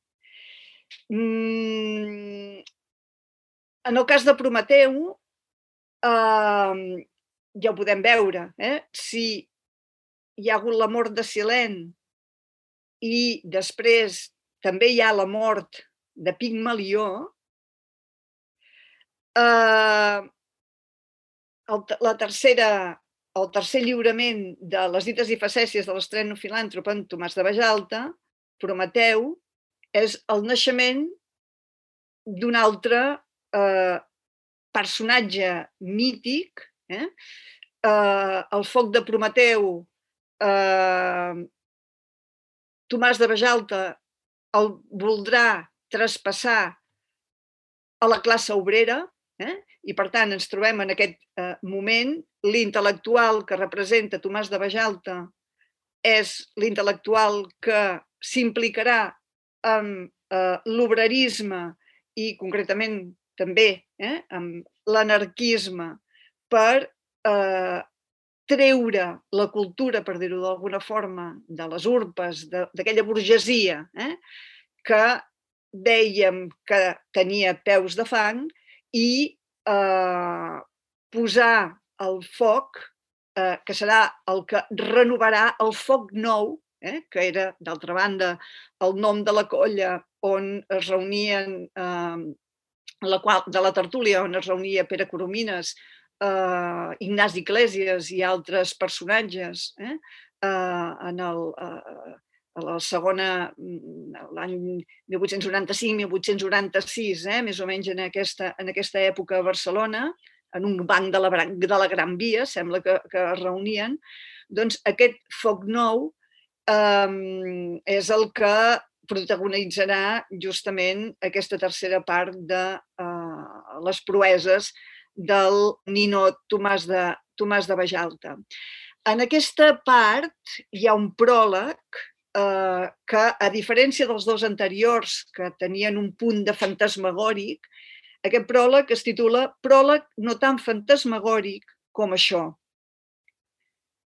En el cas de Prometeu, ja ho podem veure, si hi ha hagut la mort de Silent i després també hi ha la mort de Pigmalió, la tercera, el tercer lliurament de Les dites i facècies de l'estreno filàntrop en Tomàs de Bajalta, Prometeu, és el naixement d'un altre personatge mític, el foc de Prometeu. Tomàs de Bajalta el voldrà traspassar a la classe obrera i, per tant, ens trobem en aquest moment. L'intel·lectual que representa Tomàs de Bajalta és l'intel·lectual que s'implicarà amb l'obrerisme i, concretament, també amb l'anarquisme per treure la cultura, per dir-ho d'alguna forma, de les urpes, d'aquella burgesia que dèiem que tenia peus de fang, i posar el foc, que serà el que renovarà el foc nou, que era, d'altra banda, el nom de la colla on es reunien, de la tertúlia on es reunia Pere Coromines, Ignasi Iglésies i altres personatges en la segona, l'any mil vuit-cents noranta-cinc mil vuit-cents noranta-sis, més o menys en aquesta època a Barcelona, en un banc de la Gran Via, sembla que es reunien. Doncs aquest foc nou és el que protagonitzarà justament aquesta tercera part de les proeses del ninot Tomàs de Bajalta. En aquesta part hi ha un pròleg que, a diferència dels dos anteriors, que tenien un punt de fantasmagòric, aquest pròleg es titula Pròleg no tan fantasmagòric com això.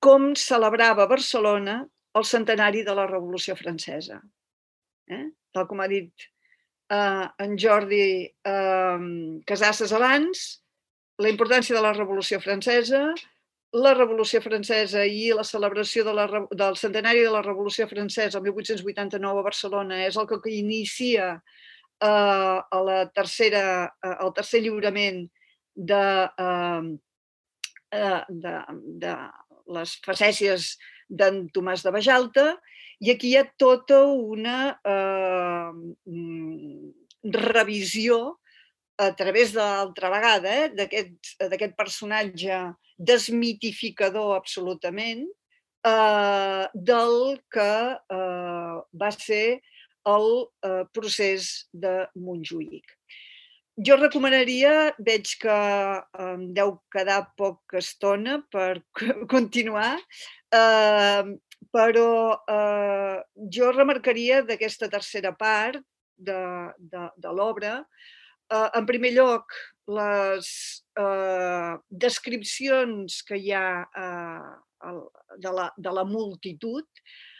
Com celebrava Barcelona el centenari de la Revolució Francesa. Tal com ha dit en Jordi Casasses abans, la importància de la Revolució Francesa, la Revolució Francesa i la celebració del centenari de la Revolució Francesa el mil vuit-cents vuitanta-nou a Barcelona és el que inicia el tercer lliurament de les facècies d'en Tomàs de Bajalta, i aquí hi ha tota una revisió a través de l'altra vegada d'aquest personatge desmitificador absolutament del que va ser el procés de Montjuïc. Jo recomanaria, veig que em deu quedar poca estona per continuar, però jo remarcaria d'aquesta tercera part de l'obra, en primer lloc, les descripcions que hi ha de la multitud,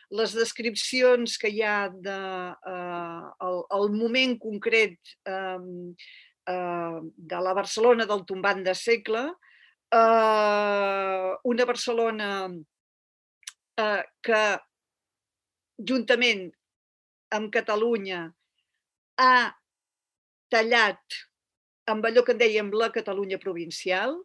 les descripcions que hi ha del moment concret de la Barcelona del tombant de segle, una Barcelona que, juntament amb Catalunya, ha tallat amb allò que en dèiem la Catalunya provincial.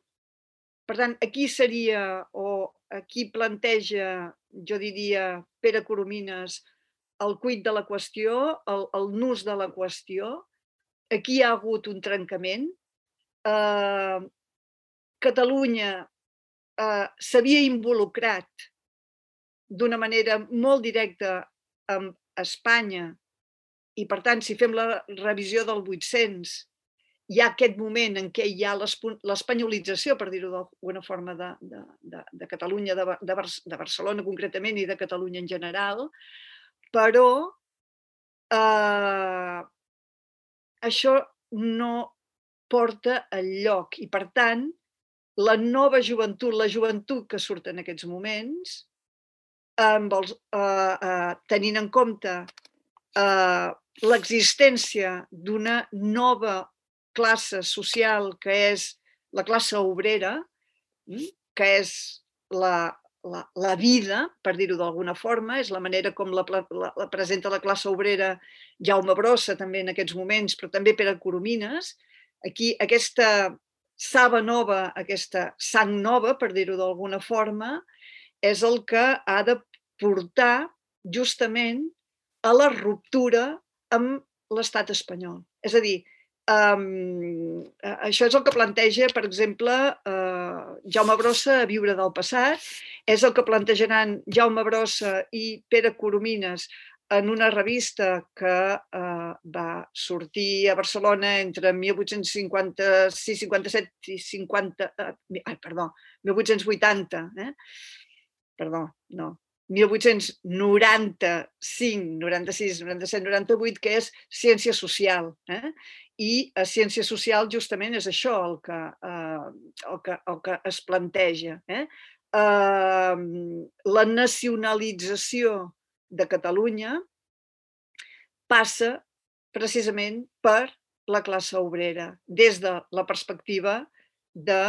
Per tant, aquí seria, o aquí planteja, jo diria, Pere Coromines, el quid de la qüestió, el nus de la qüestió. Aquí hi ha hagut un trencament. eh, Catalunya eh, s'havia involucrat d'una manera molt directa amb Espanya i, per tant, si fem la revisió del vuit-cents, hi ha aquest moment en què hi ha l'espanyolització, per dir-ho d'alguna forma, de, de, de, de Catalunya, de, de, de Barcelona concretament i de Catalunya en general, però eh, això no porta enlloc i, per tant, la nova joventut, la joventut que surt en aquests moments, amb els, eh, eh, tenint en compte eh, l'existència d'una nova classe social que és la classe obrera, que és la, la, la vida, per dir-ho d'alguna forma, és la manera com la, la, la presenta la classe obrera Jaume Brossa també en aquests moments, però també Pere Coromines. Aquí aquesta saba nova, aquesta sang nova, per dir-ho d'alguna forma, és el que ha de portar justament a la ruptura amb l'estat espanyol. És a dir, um, això és el que planteja, per exemple, uh, Jaume Brossa a Viure del passat, és el que plantejaran Jaume Brossa i Pere Coromines en una revista que uh, va sortir a Barcelona entre mil vuit-cents cinquanta-sis, cinquanta-set i cinquanta... Uh, ai, perdó, mil vuit-cents vuitanta, eh? Perdó, no, mil vuit-cents noranta-cinc, noranta-sis, noranta-set, noranta-vuit, que és ciència social. Eh? I a ciència social justament és això el que, eh, el que, el que es planteja. Eh? Eh, la nacionalització de Catalunya passa precisament per la classe obrera, des de la perspectiva de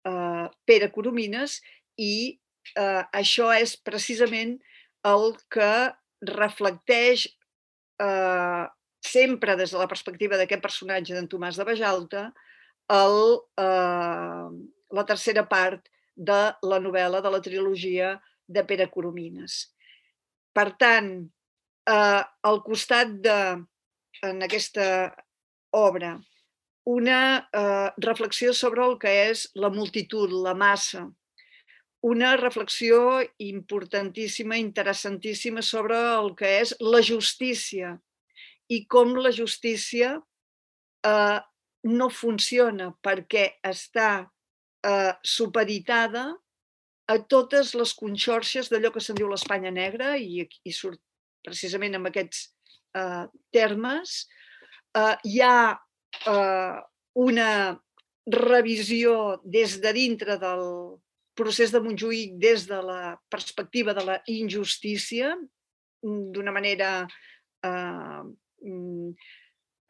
eh, Pere Coromines, i eh, això és precisament el que reflecteix eh, sempre des de la perspectiva d'aquest personatge d'en Tomàs de Bajalta el, eh, la tercera part de la novel·la, de la trilogia de Pere Coromines. Per tant, eh, al costat de, en aquesta obra, una eh, reflexió sobre el que és la multitud, la massa, una reflexió importantíssima, interessantíssima sobre el que és la justícia i com la justícia eh, no funciona perquè està eh, supeditada a totes les conxorxes d'allò que se'n diu l'Espanya negra, i, i surt precisament amb aquests eh, termes. Eh, hi ha eh, una revisió des de dintre del procés de Montjuïc, des de la perspectiva de la injustícia, d'una manera eh,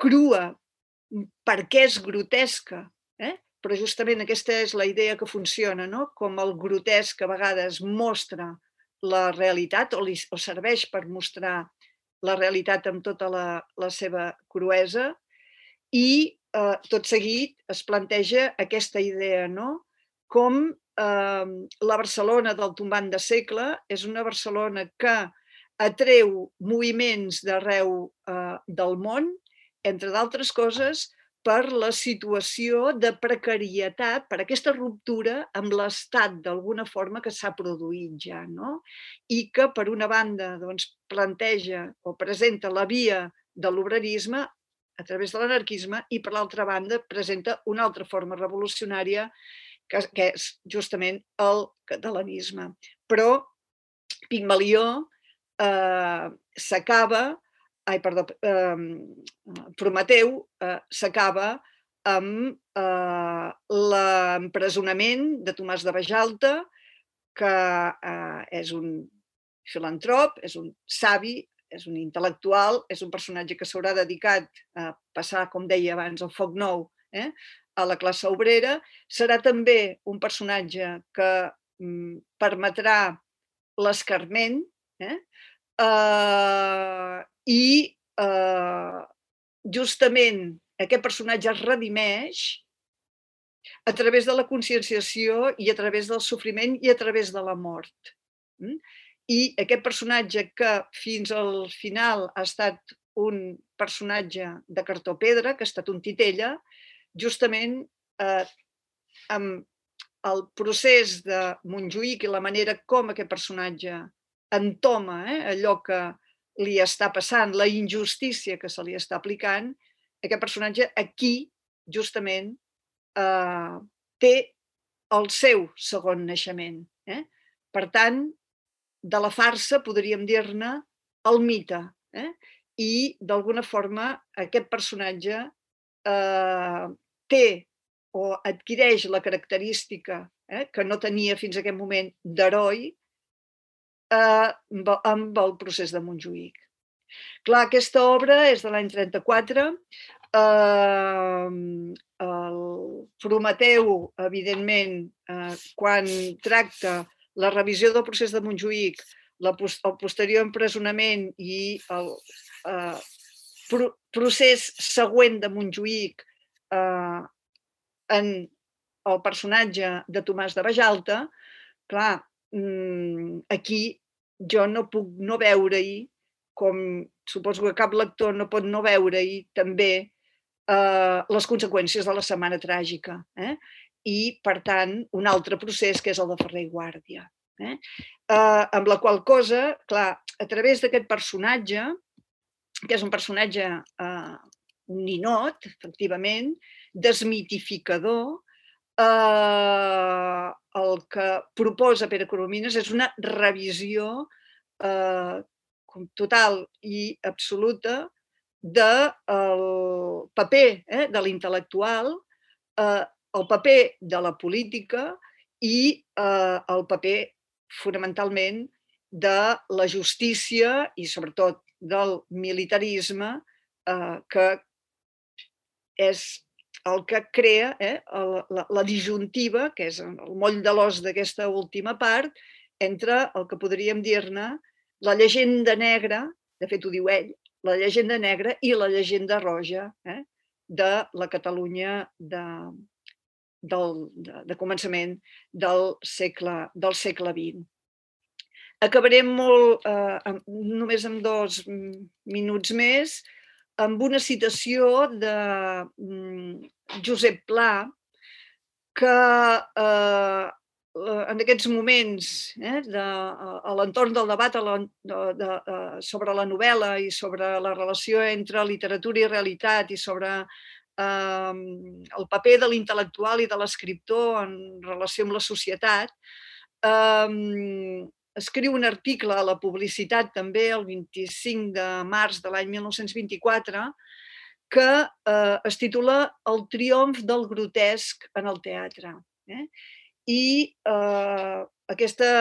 crua, perquè és grotesca, eh? Però justament aquesta és la idea que funciona, no? Com el grotesc a vegades mostra la realitat o, li, o serveix per mostrar la realitat amb tota la, la seva cruesa, i eh, tot seguit es planteja aquesta idea, no? Com eh, la Barcelona del tombant de segle és una Barcelona que atreu moviments d'arreu eh, del món, entre d'altres coses, per la situació de precarietat, per aquesta ruptura amb l'estat d'alguna forma que s'ha produït ja, no? I que, per una banda, doncs, planteja o presenta la via de l'obrerisme a través de l'anarquisme, i, per l'altra banda, presenta una altra forma revolucionària que, que és justament el catalanisme. Però Pigmalió eh, s'acaba ai, perdó, eh, Prometeu eh, s'acaba amb eh, l'empresonament de Tomàs de Bajalta, que eh, és un filantrop, és un savi, és un intel·lectual, és un personatge que s'haurà dedicat a passar, com deia abans, el foc nou eh, a la classe obrera. Serà també un personatge que mm, permetrà l'escarment, eh, Uh, i uh, justament aquest personatge es redimeix a través de la conscienciació i a través del sofriment i a través de la mort. Mm? I aquest personatge, que fins al final ha estat un personatge de cartó pedra, que ha estat un titella, justament eh, amb el procés de Montjuïc i la manera com aquest personatge entoma eh, allò que li està passant, la injustícia que se li està aplicant, aquest personatge aquí, justament, eh, té el seu segon naixement. Eh? Per tant, de la farsa podríem dir-ne el mite. Eh? I, d'alguna forma, aquest personatge eh, té o adquireix la característica eh, que no tenia fins a aquest moment d'heroi eh, amb el procés de Montjuïc. Clar, aquesta obra és de l'any trenta-quatre. Eh, el Prometeu, evidentment, eh, quan tracta la revisió del procés de Montjuïc, la, el posterior empresonament i el eh, pro, procés següent de Montjuïc eh, en el personatge de Tomàs de Bajalta, clar, aquí jo no puc no veure-hi, com suposo que cap lector no pot no veure-hi també eh, les conseqüències de la Setmana Tràgica. Eh? I, per tant, un altre procés que és el de Ferrer i Guàrdia. Eh? Eh, amb la qual cosa, clar, a través d'aquest personatge, que és un personatge eh, un ninot, efectivament, desmitificador, eh, el que proposa Pere Coromines és una revisió eh, total i absoluta del paper eh, de l'intel·lectual, eh, el paper de la política i eh, el paper, fonamentalment, de la justícia i, sobretot, del militarisme, eh, que és el que crea eh, la, la disjuntiva, que és el moll de l'os d'aquesta última part, entre el que podríem dir-ne la llegenda negra, de fet ho diu ell, la llegenda negra i la llegenda roja eh, de la Catalunya de, del, de, de començament del segle, del segle vint. Acabarem molt, eh, només amb dos minuts més, amb una citació de Josep Pla, que eh, en aquests moments, eh, de, a l'entorn del debat a la, de, de, sobre la novel·la i sobre la relació entre literatura i realitat i sobre eh, el paper de l'intel·lectual i de l'escriptor en relació amb la societat, eh, escriu un article a la Publicitat també el vint-i-cinc de març de l'any mil nou-cents vint-i-quatre que eh, es titula El triomf del grotesc en el teatre. Eh? I eh, aquesta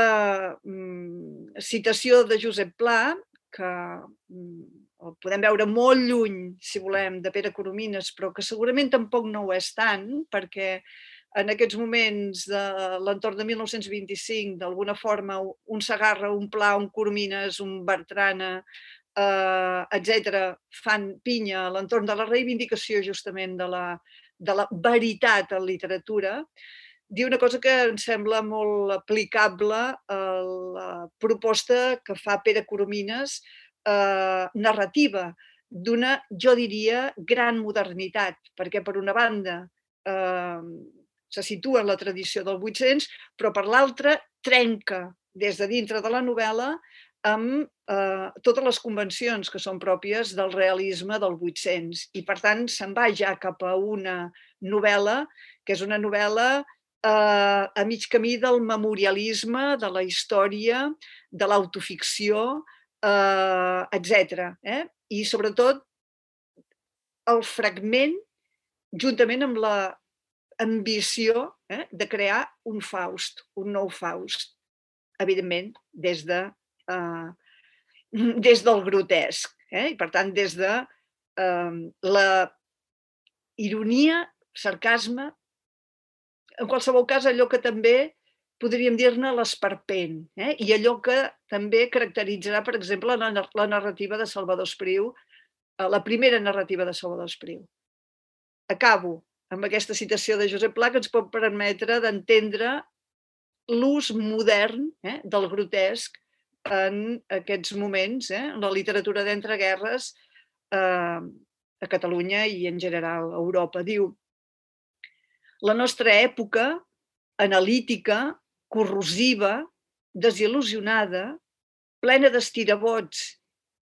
mm, citació de Josep Pla, que mm, el podem veure molt lluny, si volem, de Pere Coromines, però que segurament tampoc no ho és tant, perquè en aquests moments de l'entorn de mil nou-cents vint-i-cinc, d'alguna forma, un Segarra, un Pla, un Coromines, un Bertrana, eh, etcètera, fan pinya a l'entorn de la reivindicació justament de la, de la veritat en literatura, diu una cosa que em sembla molt aplicable a la proposta que fa Pere Coromines, eh, narrativa, d'una, jo diria, gran modernitat, perquè per una banda eh, se situa en la tradició del vuit-cents, però per l'altra trenca des de dintre de la novel·la amb eh, totes les convencions que són pròpies del realisme del vuit-cents. I, per tant, se'n va ja cap a una novel·la que és una novel·la eh, a mig camí del memorialisme, de la història, de l'autoficció, eh, etcètera. Eh? I, sobretot, el fragment, juntament amb la ambició eh, de crear un Faust, un nou Faust, evidentment, des, de, eh, des del grotesc. Eh? I, per tant, des de eh, la ironia, sarcasme, en qualsevol cas, allò que també podríem dir-ne l'esperpent, eh? I allò que també caracteritzarà, per exemple, la, la narrativa de Salvador Espriu, la primera narrativa de Salvador Espriu. Acabo amb aquesta citació de Josep Pla que ens pot permetre d'entendre l'ús modern eh, del grotesc en aquests moments, eh, en la literatura d'entreguerres eh, a Catalunya i en general a Europa. Diu: La nostra època, analítica, corrosiva, desil·lusionada, plena d'estirabots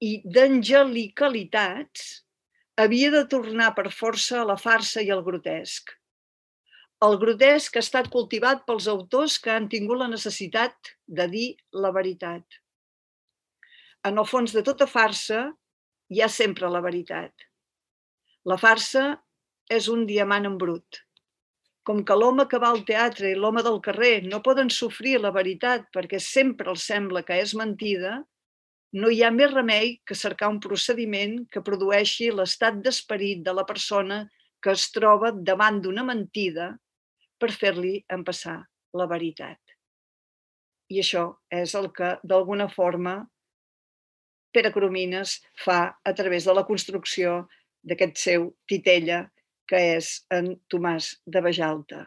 i d'angelicalitats, havia de tornar per força a la farsa i al grotesc. El grotesc ha estat cultivat pels autors que han tingut la necessitat de dir la veritat. En el fons de tota farsa hi ha sempre la veritat. La farsa és un diamant en brut. Com que l'home que va al teatre i l'home del carrer no poden sofrir la veritat perquè sempre els sembla que és mentida, no hi ha més remei que cercar un procediment que produeixi l'estat d'esperit de la persona que es troba davant d'una mentida per fer-li empassar la veritat. I això és el que, d'alguna forma, Pere Coromines fa a través de la construcció d'aquest seu titella, que és en Tomàs de Bajalta.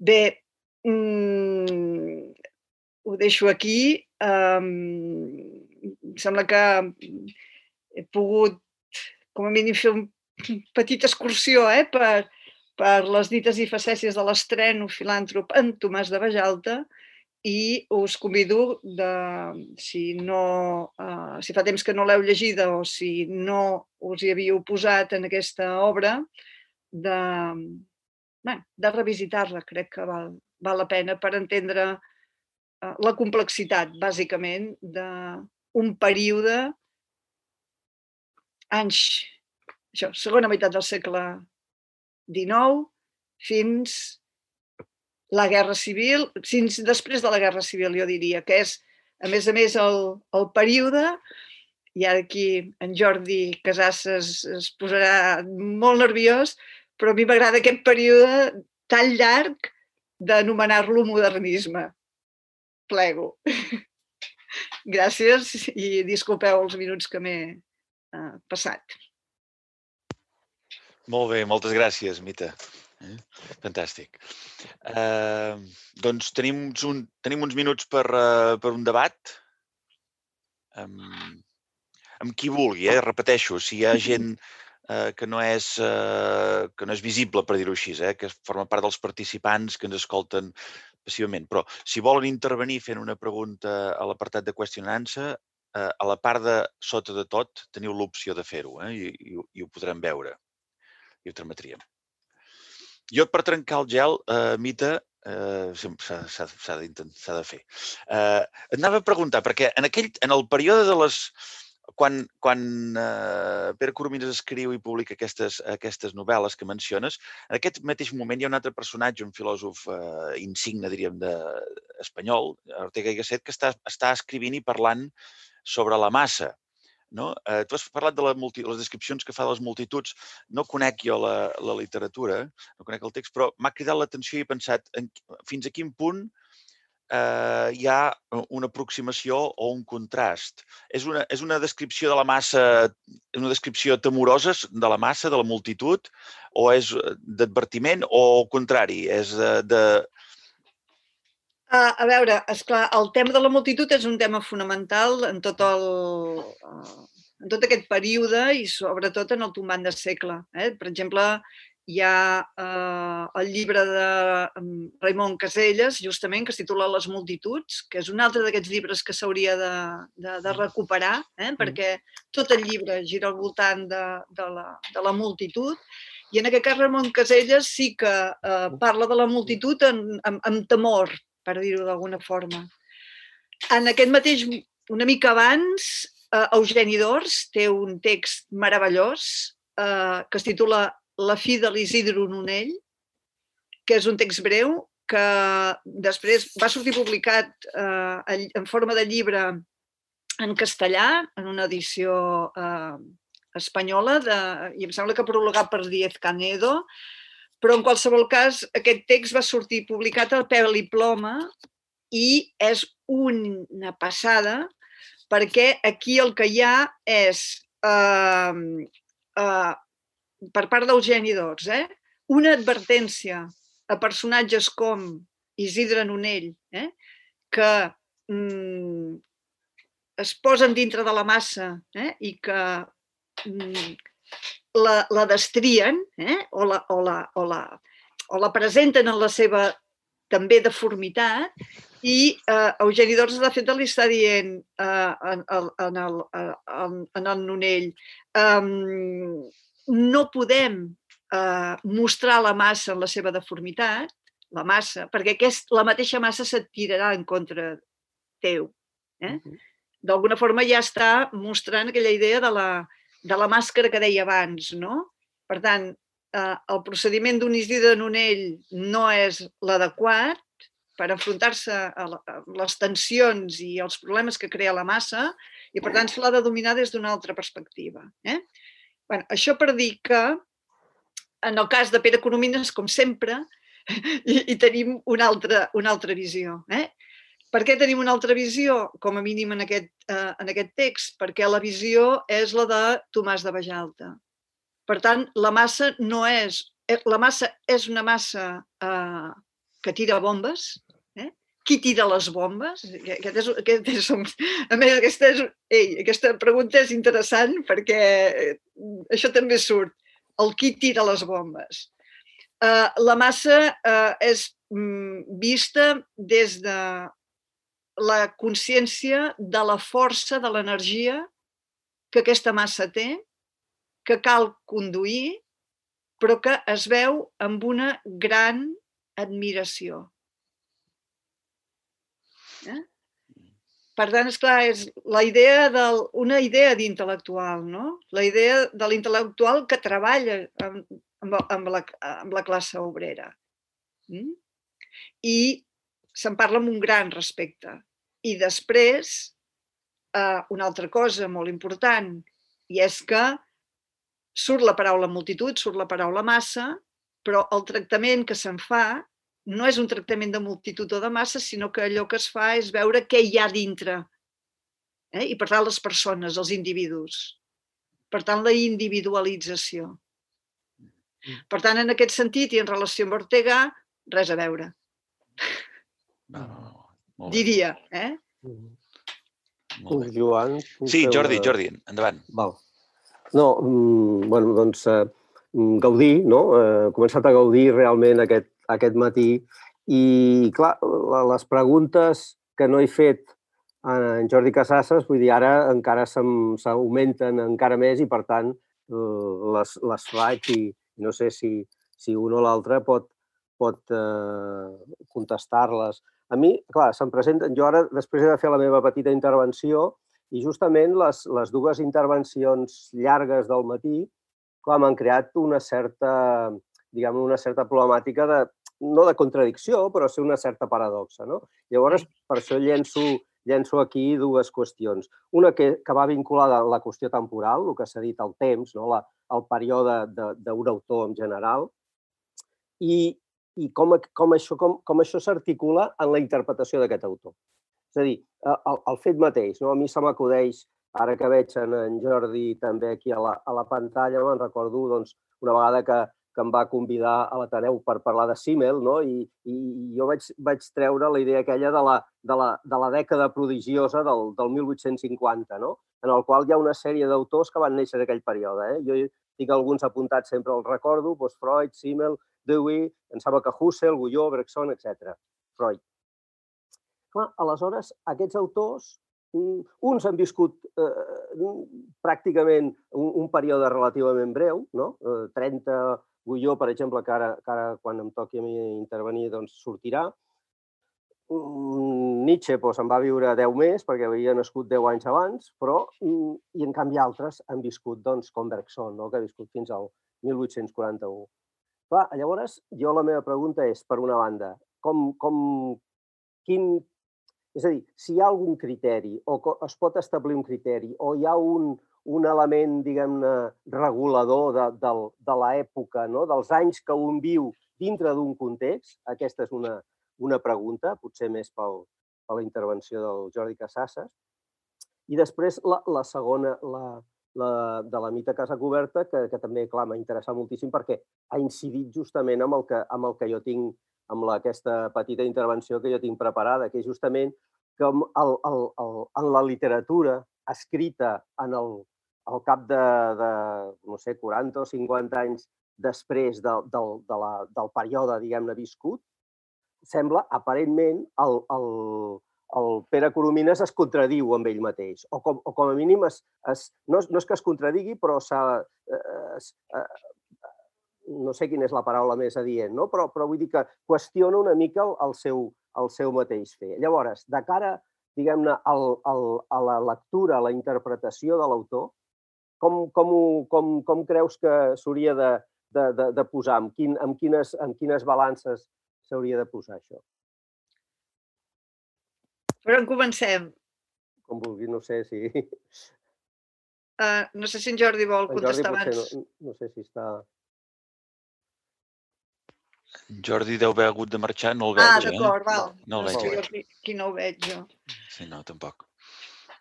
Bé, mmm, ho deixo aquí. Um, em sembla que he pogut, com a mínim, fer una petita excursió eh, per, per les dites i facècies de l'estreno filàntrop en Tomàs de Bajalta, i us convido, de, si, no, uh, si fa temps que no l'heu llegida o si no us hi havíeu posat en aquesta obra, de, bueno, de revisitar-la. Crec que val, val la pena per entendre uh, la complexitat, bàsicament, d'un període, anys, això, segona meitat del segle dinou, fins la Guerra Civil, fins després de la Guerra Civil, jo diria, que és, a més a més, el, el període, i ara aquí en Jordi Casasses es posarà molt nerviós, però a mi m'agrada aquest període tan llarg d'anomenar-lo modernisme. Plego. Gràcies i disculpeu els minuts que m'he uh, passat. Molt bé, moltes gràcies, Mita. Eh? Fantàstic. Uh, doncs tenim, un, tenim uns minuts per, uh, per un debat. Um, amb qui vulgui, eh? Repeteixo, si hi ha gent uh, que, no és, uh, que no és visible, per dir-ho així, eh? Que forma part dels participants que ens escolten passivament. Però si volen intervenir fent una pregunta a l'apartat de qüestió and answer, uh, a la part de sota de tot teniu l'opció de fer-ho, eh? I, i, i ho podrem veure. I ho trametríem. Jo, per trencar el gel, uh, Mita, uh, s'ha de, de fer. Uh, et anava a preguntar, perquè en, aquell, en el període de les... Quan, quan uh, Pere Coromines escriu i publica aquestes, aquestes novel·les que menciones, en aquest mateix moment hi ha un altre personatge, un filòsof uh, insigne, diríem, de, espanyol, Ortega y Gasset, que està, està escrivint i parlant sobre la massa. No? Eh, tu has parlat de la multi, les descripcions que fa de les multituds. No conec jo la, la literatura, no conec el text, però m'ha cridat l'atenció i he pensat en, fins a quin punt eh, hi ha una aproximació o un contrast. És una, és una descripció de la massa, una descripció temorosa de la massa, de la multitud, o és d'advertiment, o al contrari, és de... de A veure, esclar, el tema de la multitud és un tema fonamental en tot, el, en tot aquest període i sobretot en el tombant de segle. Eh? Per exemple, hi ha eh, el llibre de Raimon Caselles, justament, que es titula Les multituds, que és un altre d'aquests llibres que s'hauria de, de, de recuperar, eh? Perquè tot el llibre gira al voltant de, de, la, de la multitud. I en aquest cas, Raimon Caselles sí que eh, parla de la multitud amb, amb, amb temor, per dir-ho d'alguna forma. En aquest mateix, una mica abans, eh, Eugeni d'Ors té un text meravellós eh, que es titula La fi de l'Isidro Nonell, que és un text breu que després va sortir publicat eh, en forma de llibre en castellà, en una edició eh, espanyola, de, i em sembla que prologat per Díez Canedo, però en qualsevol cas aquest text va sortir publicat al pèl i ploma i és una passada perquè aquí el que hi ha és, eh, eh, per part d'Eugeni d'Ors, eh, una advertència a personatges com Isidre Nonell, eh, que mm, es posen dintre de la massa eh, i que mm, la, la destrien, eh, o, la, o, la, o la, o la presenten en la seva també deformitat, i eh, Eugeni d'Ors, de fet, li està dient eh, en, en, el, en, en el Nonell um, no podem eh, mostrar la massa en la seva deformitat, la massa, perquè aquest, la mateixa massa se't tirarà en contra teu. Eh? D'alguna forma ja està mostrant aquella idea de la, de la màscara que deia abans, no? Per tant, eh, el procediment d'Isidre de Nonell no és l'adequat per enfrontar-se a les tensions i els problemes que crea la massa i, per tant, se l'ha de dominar des d'una altra perspectiva. Eh? Bueno, això per dir que, en el cas de Pere Coromines, com sempre, hi, hi tenim una altra, una altra visió. Eh? Per què tenim una altra visió, com a mínim en aquest, eh, en aquest text? Perquè la visió és la de Tomàs de Bajalta. Per tant, la massa no és... La massa és una massa eh, que tira bombes. Eh? Qui tira les bombes? Aquest és, aquest és un, a més, aquesta, és, ei, aquesta pregunta és interessant perquè això també surt. El qui tira les bombes. Eh, la massa eh, és mm, vista des de la consciència de la força, de l'energia que aquesta massa té, que cal conduir, però que es veu amb una gran admiració. Eh? Per tant, esclar, és la idea del, una idea d'intel·lectual, no? La idea de l'intel·lectual que treballa amb, amb, la, amb la classe obrera. Mm? I se'n parla amb un gran respecte. I després, eh, una altra cosa molt important, i és que surt la paraula multitud, surt la paraula massa, però el tractament que se'n fa no és un tractament de multitud o de massa, sinó que allò que es fa és veure què hi ha dintre. Eh? I per tant, les persones, els individus. Per tant, la individualització. Per tant, en aquest sentit i en relació amb Ortega, res a veure. No, no, no. Diria, eh? Molt bé. Joan... Sí, Jordi, Jordi, endavant. Val. No, bueno, doncs eh, gaudir, no? He començat a gaudir realment aquest, aquest matí i, clar, les preguntes que no he fet en Jordi Casasses, vull dir, ara encara s'augmenten encara més i, per tant, les, les faig i no sé si, si un o l'altre pot, pot eh, contestar-les. A mi, clar, se'm presenten... Jo ara, després he de fer la meva petita intervenció i justament les, les dues intervencions llargues del matí, clar, m'han creat una certa, diguem, una certa problemàtica de, no de contradicció, però sí una certa paradoxa, no? Llavors, per això llenço, llenço aquí dues qüestions. Una que, que va vinculada a la qüestió temporal, el que s'ha dit, el temps, no? la, el període d'un autor en general, i, i com, com això, com, com això s'articula en la interpretació d'aquest autor. És a dir, el, el fet mateix, no? A mi se m'acudeix, ara que veig en, en Jordi també aquí a la, a la pantalla, me'n recordo doncs, una vegada que, que em va convidar a l'Ateneu per parlar de Simmel, no? I, i jo vaig, vaig treure la idea aquella de la, de la, de la dècada prodigiosa del, del mil vuit-cents cinquanta, no? En el qual hi ha una sèrie d'autors que van néixer en aquell període. Eh? Jo tinc alguns apuntats, sempre els recordo, doncs Freud, Simmel, Dewey, em sembla que Husserl, Gulló, Bergson, etcètera. Freud. Clar, aleshores, aquests autors, uns han viscut eh, pràcticament un, un període relativament breu, no? Eh, trenta, Gulló, per exemple, que ara, que ara quan em toqui a mi intervenir doncs, sortirà. Nietzsche doncs, en va viure deu més, perquè havia nascut deu anys abans, però, i en canvi altres han viscut, doncs, com Bergson, no? Que ha viscut fins al mil vuit-cents quaranta-u. Clar, llavors, jo la meva pregunta és, per una banda, com, com, quin... És a dir, si hi ha algun criteri, o es pot establir un criteri, o hi ha un, un element, diguem-ne, regulador de, de, de l'època, no? Dels anys que un viu dintre d'un context, aquesta és una, una pregunta, potser més pel, per la intervenció del Jordi Casasses. I després la, la segona, la, la, de la Mita Casacuberta, que, que també, clar, m'ha interessat moltíssim perquè ha incidit justament amb el que, amb el que jo tinc, amb la, aquesta petita intervenció que jo tinc preparada, que és justament que el, el, el, en la literatura escrita en el, al cap de, de, no sé, quaranta o cinquanta anys després de, del, de la, del període, diguem-ne, viscut, sembla, aparentment, el, el, el Pere Coromines es contradiu amb ell mateix, o com, o com a mínim es, es, no, no és que es contradigui, però s'ha... Es, no sé quina és la paraula més adient, no? però, però vull dir que qüestiona una mica el, el, seu, el seu mateix fer. Llavors, de cara, diguem-ne, a la lectura, a la interpretació de l'autor, com, com, com, com creus que s'hauria de, de, de, de posar? Amb, quin, amb, quines, amb quines balances s'hauria de posar això? Per on comencem? Com vulgui, no sé si... Uh, no sé si en Jordi vol contestar abans. En Jordi potser no, no sé si està... Jordi deu haver hagut de marxar, no el veig, ah, eh? Ah, d'acord, val. No el veig. No, aquí, aquí no ho veig, jo. Sí, no, tampoc.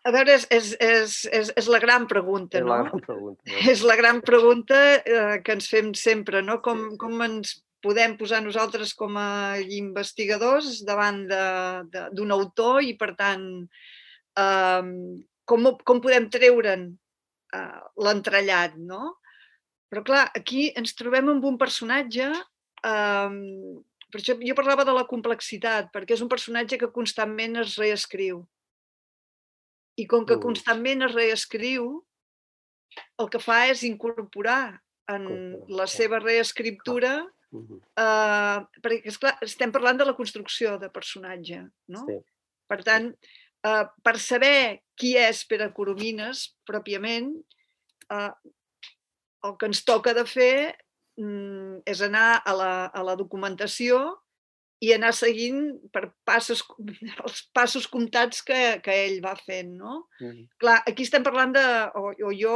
A veure, és, és, és, és, és la gran pregunta, és no? La gran pregunta, no? És la gran pregunta eh, que ens fem sempre, no? Com, sí, sí. com ens podem posar nosaltres com a investigadors davant d'un autor i, per tant, eh, com, com podem treure'n eh, l'entrellat, no? Però, clar, aquí ens trobem amb un personatge... Um, per això jo parlava de la complexitat, perquè és un personatge que constantment es reescriu. I com que constantment es reescriu, el que fa és incorporar en la seva reescriptura, uh, perquè, esclar, estem parlant de la construcció de personatge, no? Sí. Per tant, uh, per saber qui és Pere Coromines, pròpiament, uh, el que ens toca de fer és anar a la, a la documentació i anar seguint per passos, els passos comptats que, que ell va fent, no? Mm. Clar, aquí estem parlant de, o, o jo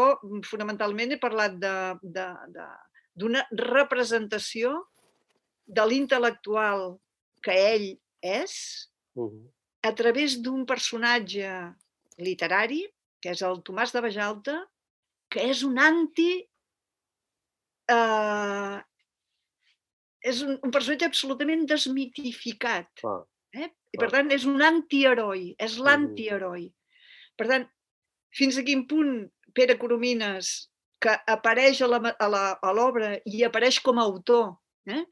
fonamentalment he parlat d'una representació de l'intel·lectual que ell és mm. a través d'un personatge literari, que és el Tomàs de Bajalta, que és un anti... Uh, és un, un personatge absolutament desmitificat. Ah, eh? I per ah. tant és un antiheroi, és l'antiheroi. Per tant, fins a quin punt Pere Coromines, que apareix a l'obra i apareix com a autor, eh?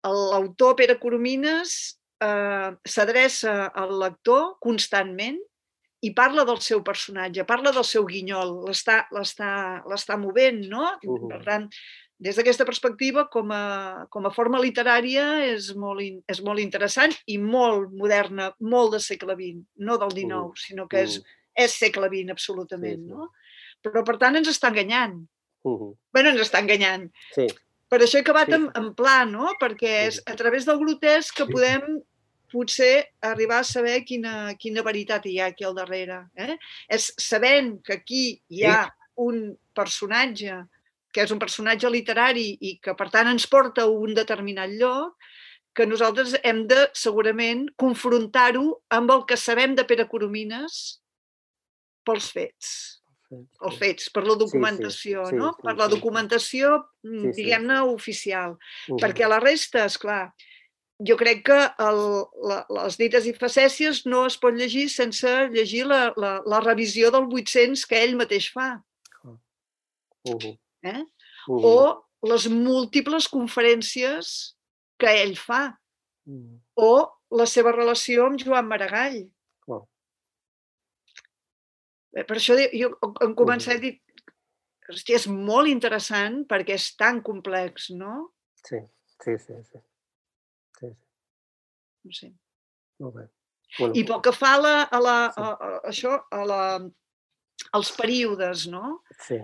l'autor Pere Coromines eh, s'adreça al lector constantment i parla del seu personatge, parla del seu guinyol, l'està movent, no? Uh -huh. Per tant, des d'aquesta perspectiva, com a, com a forma literària, és molt, és molt interessant i molt moderna, molt de segle vint, no del dinou, uh -huh. sinó que és, és segle vint, absolutament. Sí, sí. No? Però, per tant, ens està enganyant. Uh -huh. Bé, ens està enganyant. Sí. Per això he acabat sí. en, en pla, no? Perquè és a través del grotesc que podem potser arribar a saber quina, quina veritat hi ha aquí al darrere. Eh? És sabent que aquí hi ha un personatge que és un personatge literari i que, per tant, ens porta a un determinat lloc, que nosaltres hem de, segurament, confrontar-ho amb el que sabem de Pere Coromines pels fets. Els fets, per la documentació, sí, sí, no? Sí, sí, per la documentació, sí, diguem-ne, sí. oficial. Uh-huh. Perquè la resta, esclar, jo crec que el, la, les dites i facècies no es pot llegir sense llegir la, la, la revisió del vuit-cents que ell mateix fa. Uh-huh. Eh? Uh-huh. O les múltiples conferències que ell fa. Uh-huh. O la seva relació amb Joan Maragall. Uh-huh. Per això jo en començar a dir, hòstia, és molt interessant perquè és tan complex, no? Sí, sí, sí. sí. sí, sí. No sé. Molt bé. Bueno. I pel que fa a, la, a, la, a, a això, a la, als períodes, no? Sí.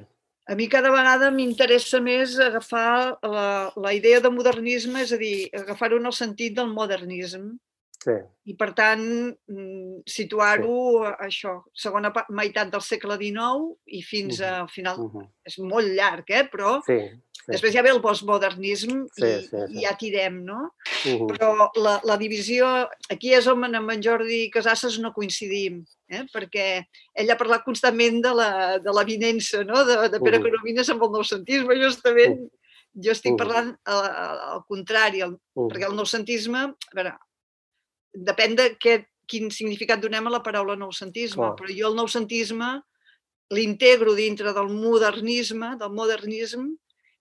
A mi cada vegada m'interessa més agafar la, la idea de modernisme, és a dir, agafar-ho en el sentit del modernisme. Sí. I, per tant, situar-ho, sí. això, segona meitat del segle dinou i fins uh-huh. al final. Uh-huh. És molt llarg, eh? Però sí, sí. després ja ve el postmodernisme sí, i, sí, sí. i ja tirem, no? Uh-huh. Però la, la divisió... Aquí és on amb en Jordi Casasses no coincidim, eh? Perquè ell ha parlat constantment de la, de l'avinença, no? De, de Pere uh-huh. Coromines amb el noucentisme, justament. Uh-huh. Jo estic parlant al, al contrari, el, uh-huh. perquè el noucentisme... A veure, depèn de què, quin significat donem a la paraula noucentisme, oh. però jo el noucentisme l'integro dintre del modernisme, del modernisme,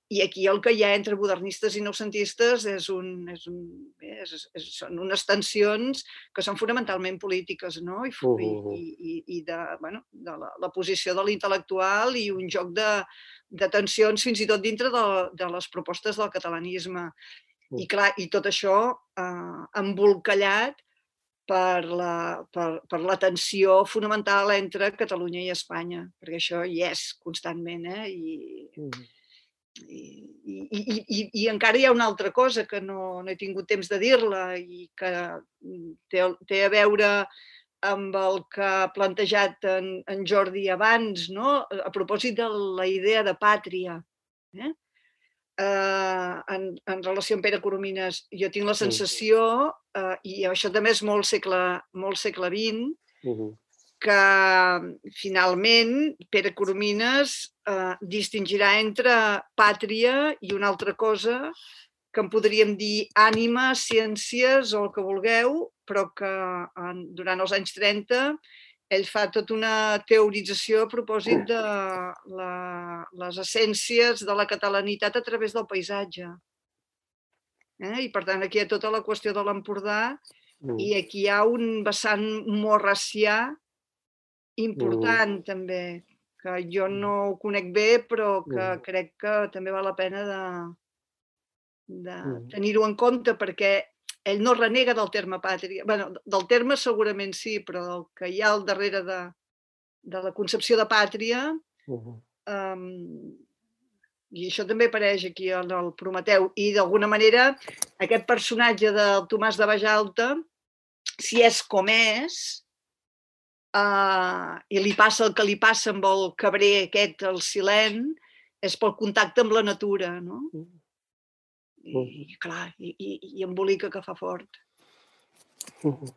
I aquí el que hi ha entre modernistes i noucentistes és un, és un, és, és, són unes tensions que són fonamentalment polítiques, no? I, Uh, uh, uh. i, i, i de, bueno, de la, la posició de l'intel·lectual i un joc de, de tensions fins i tot dintre de, de les propostes del catalanisme. I clar, i tot això eh, embolcallat per la, per, per la tensió fonamental entre Catalunya i Espanya, perquè això hi és constantment, eh? I, uh. I, i, i, i, i encara hi ha una altra cosa que no, no he tingut temps de dir-la i que té, té a veure amb el que ha plantejat en, en Jordi abans, no? A propòsit de la idea de pàtria. Eh? Uh, en, en relació amb Pere Coromines, jo tinc la sensació, uh, i això també és molt segle, molt segle vint, uh-huh. que finalment Pere Coromines eh, distingirà entre pàtria i una altra cosa que en podríem dir ànima, ciències o el que vulgueu, però que en, durant els anys trenta ell fa tota una teorització a propòsit de la, les essències de la catalanitat a través del paisatge. Eh? I per tant aquí hi ha tota la qüestió de l'Empordà mm. i aquí hi ha un vessant morracià important mm. també, que jo no ho conec bé, però que mm. crec que també val la pena de, de mm. tenir-ho en compte, perquè ell no renega del terme pàtria. Bueno, del terme segurament sí, però el que hi ha al darrere de, de la concepció de pàtria, uh-huh. um, i això també apareix aquí en el Prometeu, i d'alguna manera aquest personatge del Tomàs de Bajalta, si és com és, Uh, i li passa el que li passa amb el cabrer aquest, el silent, és pel contacte amb la natura, no? I, i clar, i, i, i embolica que fa fort. Uh-huh.